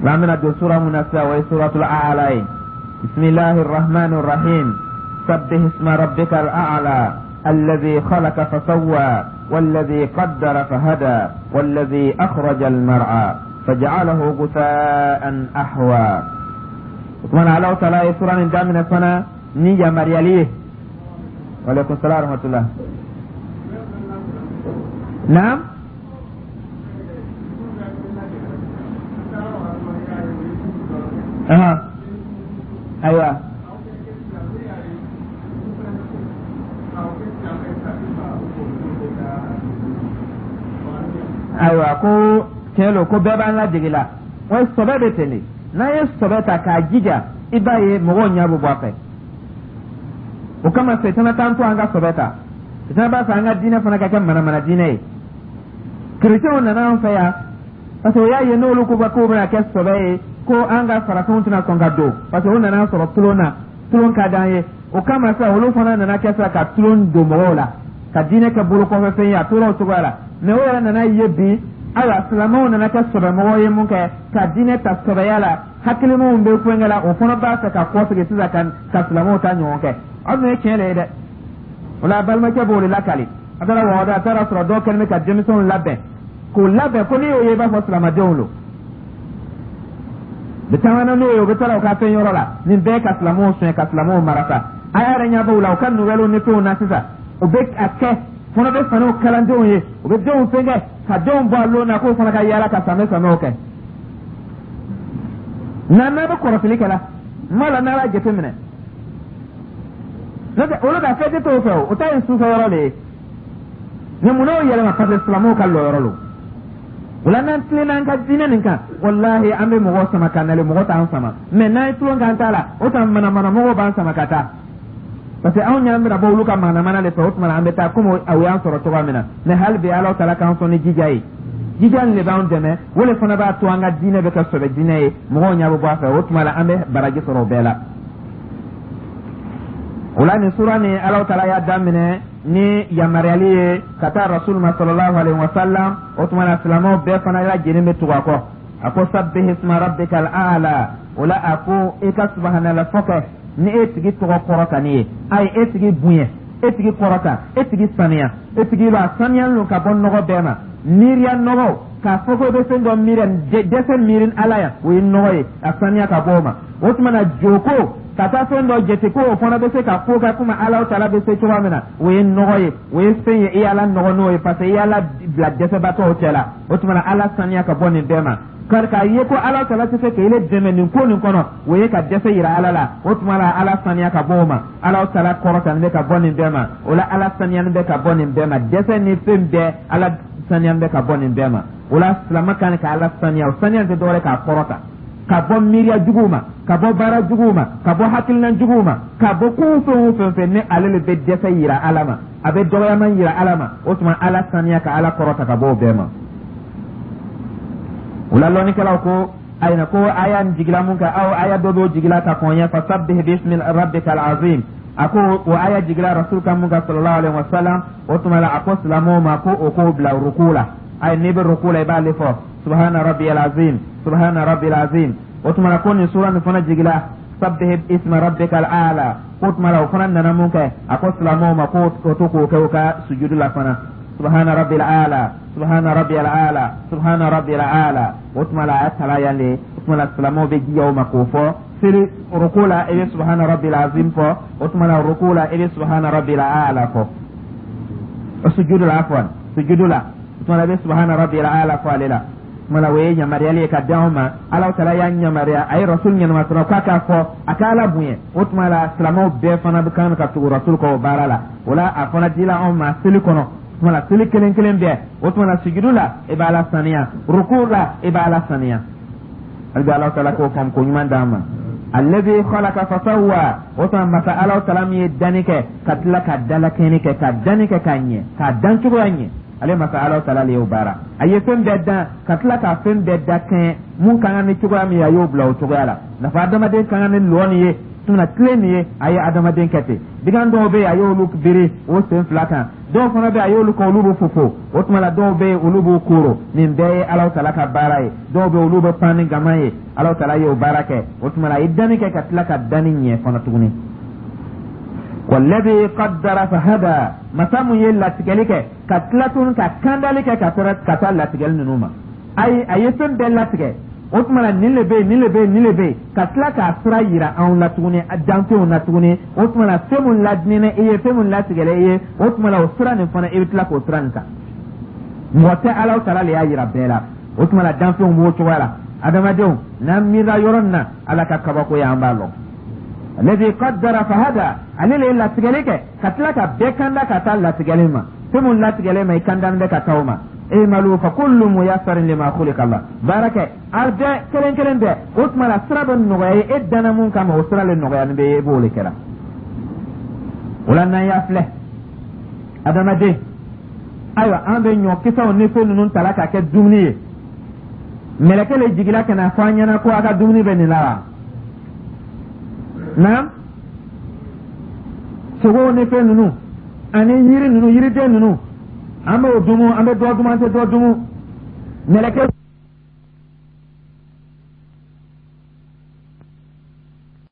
An bɛna don sura mun na sisan, o ye suratul A'la ye. Bisimilahi rahmani rahim. Sabbih isma rabbika al-a'la, alladhi khalaqa fasawwa, والذي قدر فهدى، والذي أخرج المرعى فجعله غثاء أحوى. Oumana Alahu taala ye sura nin daminɛ fana ni yamaruyali ye. Waaleykum salaam wa rahmatullah. Naam. Aha. Ayiwa. Ayiwa, ko tiɲɛ don ko bɛɛ b'an ladege la. Wa sɔbɛ bɛ ten de, n'an ye sɔbɛ ta k'a jija, i b'a ye mɔgɔw ɲɛ bɛ bɔ a fɛ. O kama setana t'an to an ka sɔbɛ ta. Setana b'a fɛ an ka diinɛ fana ka kɛ manamana diinɛ ye. Kerecɛnw nana an fɛ yan parce que o y'a ye n'olu ko k'o bɛna kɛ sɔbɛ ye, ko an ka farafinw tɛna sɔn ka don, parce que o nana sɔrɔ tulon na, tulon ka d'an ye. O kama sisan, olu fana nana kɛ sisan ka tulon don mɔgɔw la, ka diinɛ kɛ bolokɔfɛfɛn ye. A tora o cogoya la, mɛ o yɛrɛ nana ye bi. Ayiwa, silamɛw nana kɛ sɔbɛmɔgɔw ye mun kɛ ka diinɛ ta sɔbɛya la, hakilimaw bɛ fɛnkɛ la, o fana b'a fɛ ka kɔsegin sisan ka ka silamɛw ta ɲɔgɔn kɛ. Aw dun ye tiɲɛ de ye dɛ. O la, balimakɛ b'o de lakali. A taara wɔgɔdɔ, a taara sɔrɔ dɔw kɛlen bɛ ka denmisɛnw labɛn k'o labɛn ko n'i y'o ye, i b'a fɔ silamɛdenw don. Bɛ taama n'o ye, u bɛ taa u ka fɛn yɔrɔ la. Nin bɛɛ ka silamɛw suɲɛ, ka silamɛw marasa. A yɛrɛ ɲɛ b'o la, u ka nouvelles ni fɛnw na sisan, u bɛ a kɛ fana bɛ faniw kalandenw ye, u bɛ denw fɛnkɛ ka denw bɔ a lon na k'o fana ka yaala ka samɛ samɛw kɛ. Nka n'a bɛ kɔrɔsili kɛ la, n b'a la n'a b'a jateminɛ, n'o tɛ olu ka fɛn tɛ t'o fɛ, o o ta ye sufɛ yɔrɔ de ye. Mɛ mun n'o yɛlɛma? Parce que silamɛw ka lɔyɔrɔ lo. O la, n'an tilenna an ka diinɛ nin kan, walahi, an bɛ mɔgɔw sama ka nalen, mɔgɔ t'an sama. Mɛ n'an ye tulon k'an ta la, o tuma manamana mɔgɔw b'an sama ka taa, parce que anw ɲɛ bɛna bɔ olu ka manamana de fɛ. O tuma an bɛ taa komi o y'an sɔrɔ cogoya min na. Mɛ hali bi, Ala taala k'an sɔn ni jija ye. Jija nin de b'an dɛmɛ, o de fana b'a to an ka diinɛ bɛ kɛ sɔbɛ diinɛ ye, mɔgɔw ɲɛ bɛ bɔ a fɛ. O tuma la, an bɛ baraji sɔrɔ o bɛɛ la. O la, nin sura nin, Ala taala y'a daminɛ ni yamaruyali ye ka taa rasul ma sallallahu alaihi wa sallam. O tuma na, silamɛw bɛɛ fana lajɛlen bɛ tugu a kɔ. A ko sabbih isma rabbika al-a'la. O la, a ko i ka subhanallah fɔ kɛ ni e tigi tɔgɔ kɔrɔta ni ye. Ayi, e tigi bonya, e tigi kɔrɔta, e tigi saniya, e tigi b'a saniyalen don ka bɔ nɔgɔ bɛɛ ma, miiriya nɔgɔ. K'a fɔ ko i bɛ fɛn dɔ miiri, dɛsɛ miiri Ala yan, o ye nɔgɔ ye, a saniya ka bɔ o ma. O tuma na, joko ka taa fɛn dɔ jate ko o fana bɛ se ka ko kɛ komi Ala taala bɛ se cogoya min na, o ye nɔgɔ ye, o ye fɛn ye i y'Ala nɔgɔ n'o ye, parce que i y'Ala bila dɛsɛbaatɔw cɛ la. O tuma na, Ala saniya ka bɔ nin bɛɛ ma. Kari k'a ye ko Ala taala tɛ se k'e dɛmɛ nin ko nin kɔnɔ, o ye ka dɛsɛ yira Ala la. O tuma la, Ala saniya ka bɔ o ma. Ala taala kɔrɔtalen bɛ ka bɔ nin bɛɛ ma. O la, Ala saniyalen bɛ ka bɔ nin bɛɛ ma, dɛsɛ ni fɛn bɛɛ, Ala saniyalen bɛ ka bɔ nin bɛɛ ma. O la, silamɛ kan ka Ala saniya. O saniya tɛ dɔwɛrɛ k'a kɔrɔta ka bɔ miiriya juguw ma, ka bɔ baara juguw ma, ka bɔ hakilina juguw ma, ka bɔ ko fɛn o fɛn fɛ ni ale le bɛ dɛsɛ yira Ala ma, a bɛ dɔgɔyama yira Ala ma. O tuma, Ala saniya ka Ala kɔrɔta ka bɔ o bɛɛ ma. O la, lɔnnikɛlaw ko ayiwa, ko aya nin jigila mun kan? Aw aya dɔ b'o jigila ka kɔn ɲɛ, fasabbih bismi rabbika al-azim. A ko o aya jigila rasul kan mun kan sallallahu alaihi wa sallam. O tuma la, a ko silamɛw ma ko o k'o bila ruku la. Ayi, n'i bɛ ruku la, i b'ale fɔ subhana rabbiyal azim, subhana rabbil azim. O tuma na ko nin sura nin fana jigila, sabbih isma rabbika al-a'la. Ko tuma la, o fana nana mun kɛ? A ko silamɛw ma ko o to k'o kɛ o ka sujudu la fana: subhana rabbil a'la, subhana rabbil a'la, subhana rabbil a'la. O tuma la, a y'a tala yan de. O tuma la, silamɛw bɛ jija o ma k'o fɔ seli ruku la. I bɛ subhana rabbil azim fɔ. O tuma la, ruku la, i bɛ subhana rabbil a'la fɔ. Sujudu la, afwan, sujudu la, o tuma la, i bɛ subhana rabbil a'la fɔ ale la. Tuma la, o ye yamaruyali ye ka di anw ma. Ala taala y'a yamaruya, a ye rasul ɲɛnama sɔrɔ k'a k'a fɔ, a ka Ala bonya. O tuma la, silamɛw bɛɛ fana bɛ kan ka tugu rasul kɔ o baara la. O la, a fana dila anw ma seli kɔnɔ. O tuma la, seli kelen kelen bɛɛ, o tuma la, sujudu la, i b'a la saniya, ruku la, i b'a la saniya. Hali bi, Ala taala k'o faamu ko ɲuman d'an ma. Alladhi khalaqa fasawwa. O tuma, masa Ala taala min ye danni kɛ ka tila ka dalakɛɲɛni kɛ, ka danni kɛ ka ɲɛ, k'a dan cogoya ɲɛ, ale masa Ala taala le y'o baara. A ye fɛn bɛɛ dan ka tila ka fɛn bɛɛ da kɛɲɛ. Mun ka kan ni cogoya min ye, a y'o bila o cogoya la. Nafa adamaden ka kan ni lɔ nin ye, tuma tile nin ye, a ye adamaden kɛ ten. Bigan dɔw bɛ yen, a y'olu biri o sen fila kan. Dɔw fana bɛ yen, a y'olu kɛ, olu bɛ fofo. O tuma la, dɔw bɛ yen, olu b'u koro. Nin bɛɛ ye Ala taala ka baara ye. Dɔw bɛ yen, olu bɛ pan ni gama ye. Ala taala y'o baara kɛ. O tuma la, a ye danni kɛ ka tila ka danni ɲɛ fana tuguni. Walladhi qaddara fahada. Masa mun ye latigɛli kɛ ka tila tuguni ka kandali kɛ ka ka taa latigɛli ninnu ma, ayi, a ye fɛn bɛɛ latigɛ. O tuma la, nin le bɛ yen, nin le bɛ yen, nin le bɛ yen, ka tila k'a sira yira anw la tuguni, danfɛnw na tuguni. O tuma la, fɛn mun ladinɛ i ye, fɛn mun latigɛla i ye, o tuma la, o sira nin fana, i bɛ tila k'o sira nin ta. Mɔgɔ tɛ, Ala taala le y'a yira bɛɛ la. O tuma la, danfɛnw b'o cogoya la. Adamadenw, n'an miirila yɔrɔ min na, Ala ka kabako ye, an b'a lɔn. Alladhi qaddara fahada. Ale le ye latigɛli kɛ ka tila ka bɛɛ kanda ka taa latigɛli ma. Fɛn mun latigɛlen ma, i kandani bɛ ka taa o ma. I'malu fa kullu muyassarin lima khuliqa la. Baara kɛ, a bɛɛ kelen kelen bɛɛ. O tuma la, sira bɛ nɔgɔya ye, e danna mun kama, o sira le nɔgɔya bɛ ye, e b'o de kɛra. O la, n'an y'a filɛ, adamaden, ayiwa, an bɛ ɲɔkisɛw ni fɛn ninnu tala ka kɛ dumuni ye. Mɛlɛkɛ le jigila ka na fɔ an ɲɛna ko a ka dumuni bɛ nin la wa? Naam, sogow ni fɛn ninnu ani yiri ninnu, yiriden ninnu, an b'o dumu, an bɛ dɔ dumu, an tɛ dɔ dumu. Mɛlɛkɛ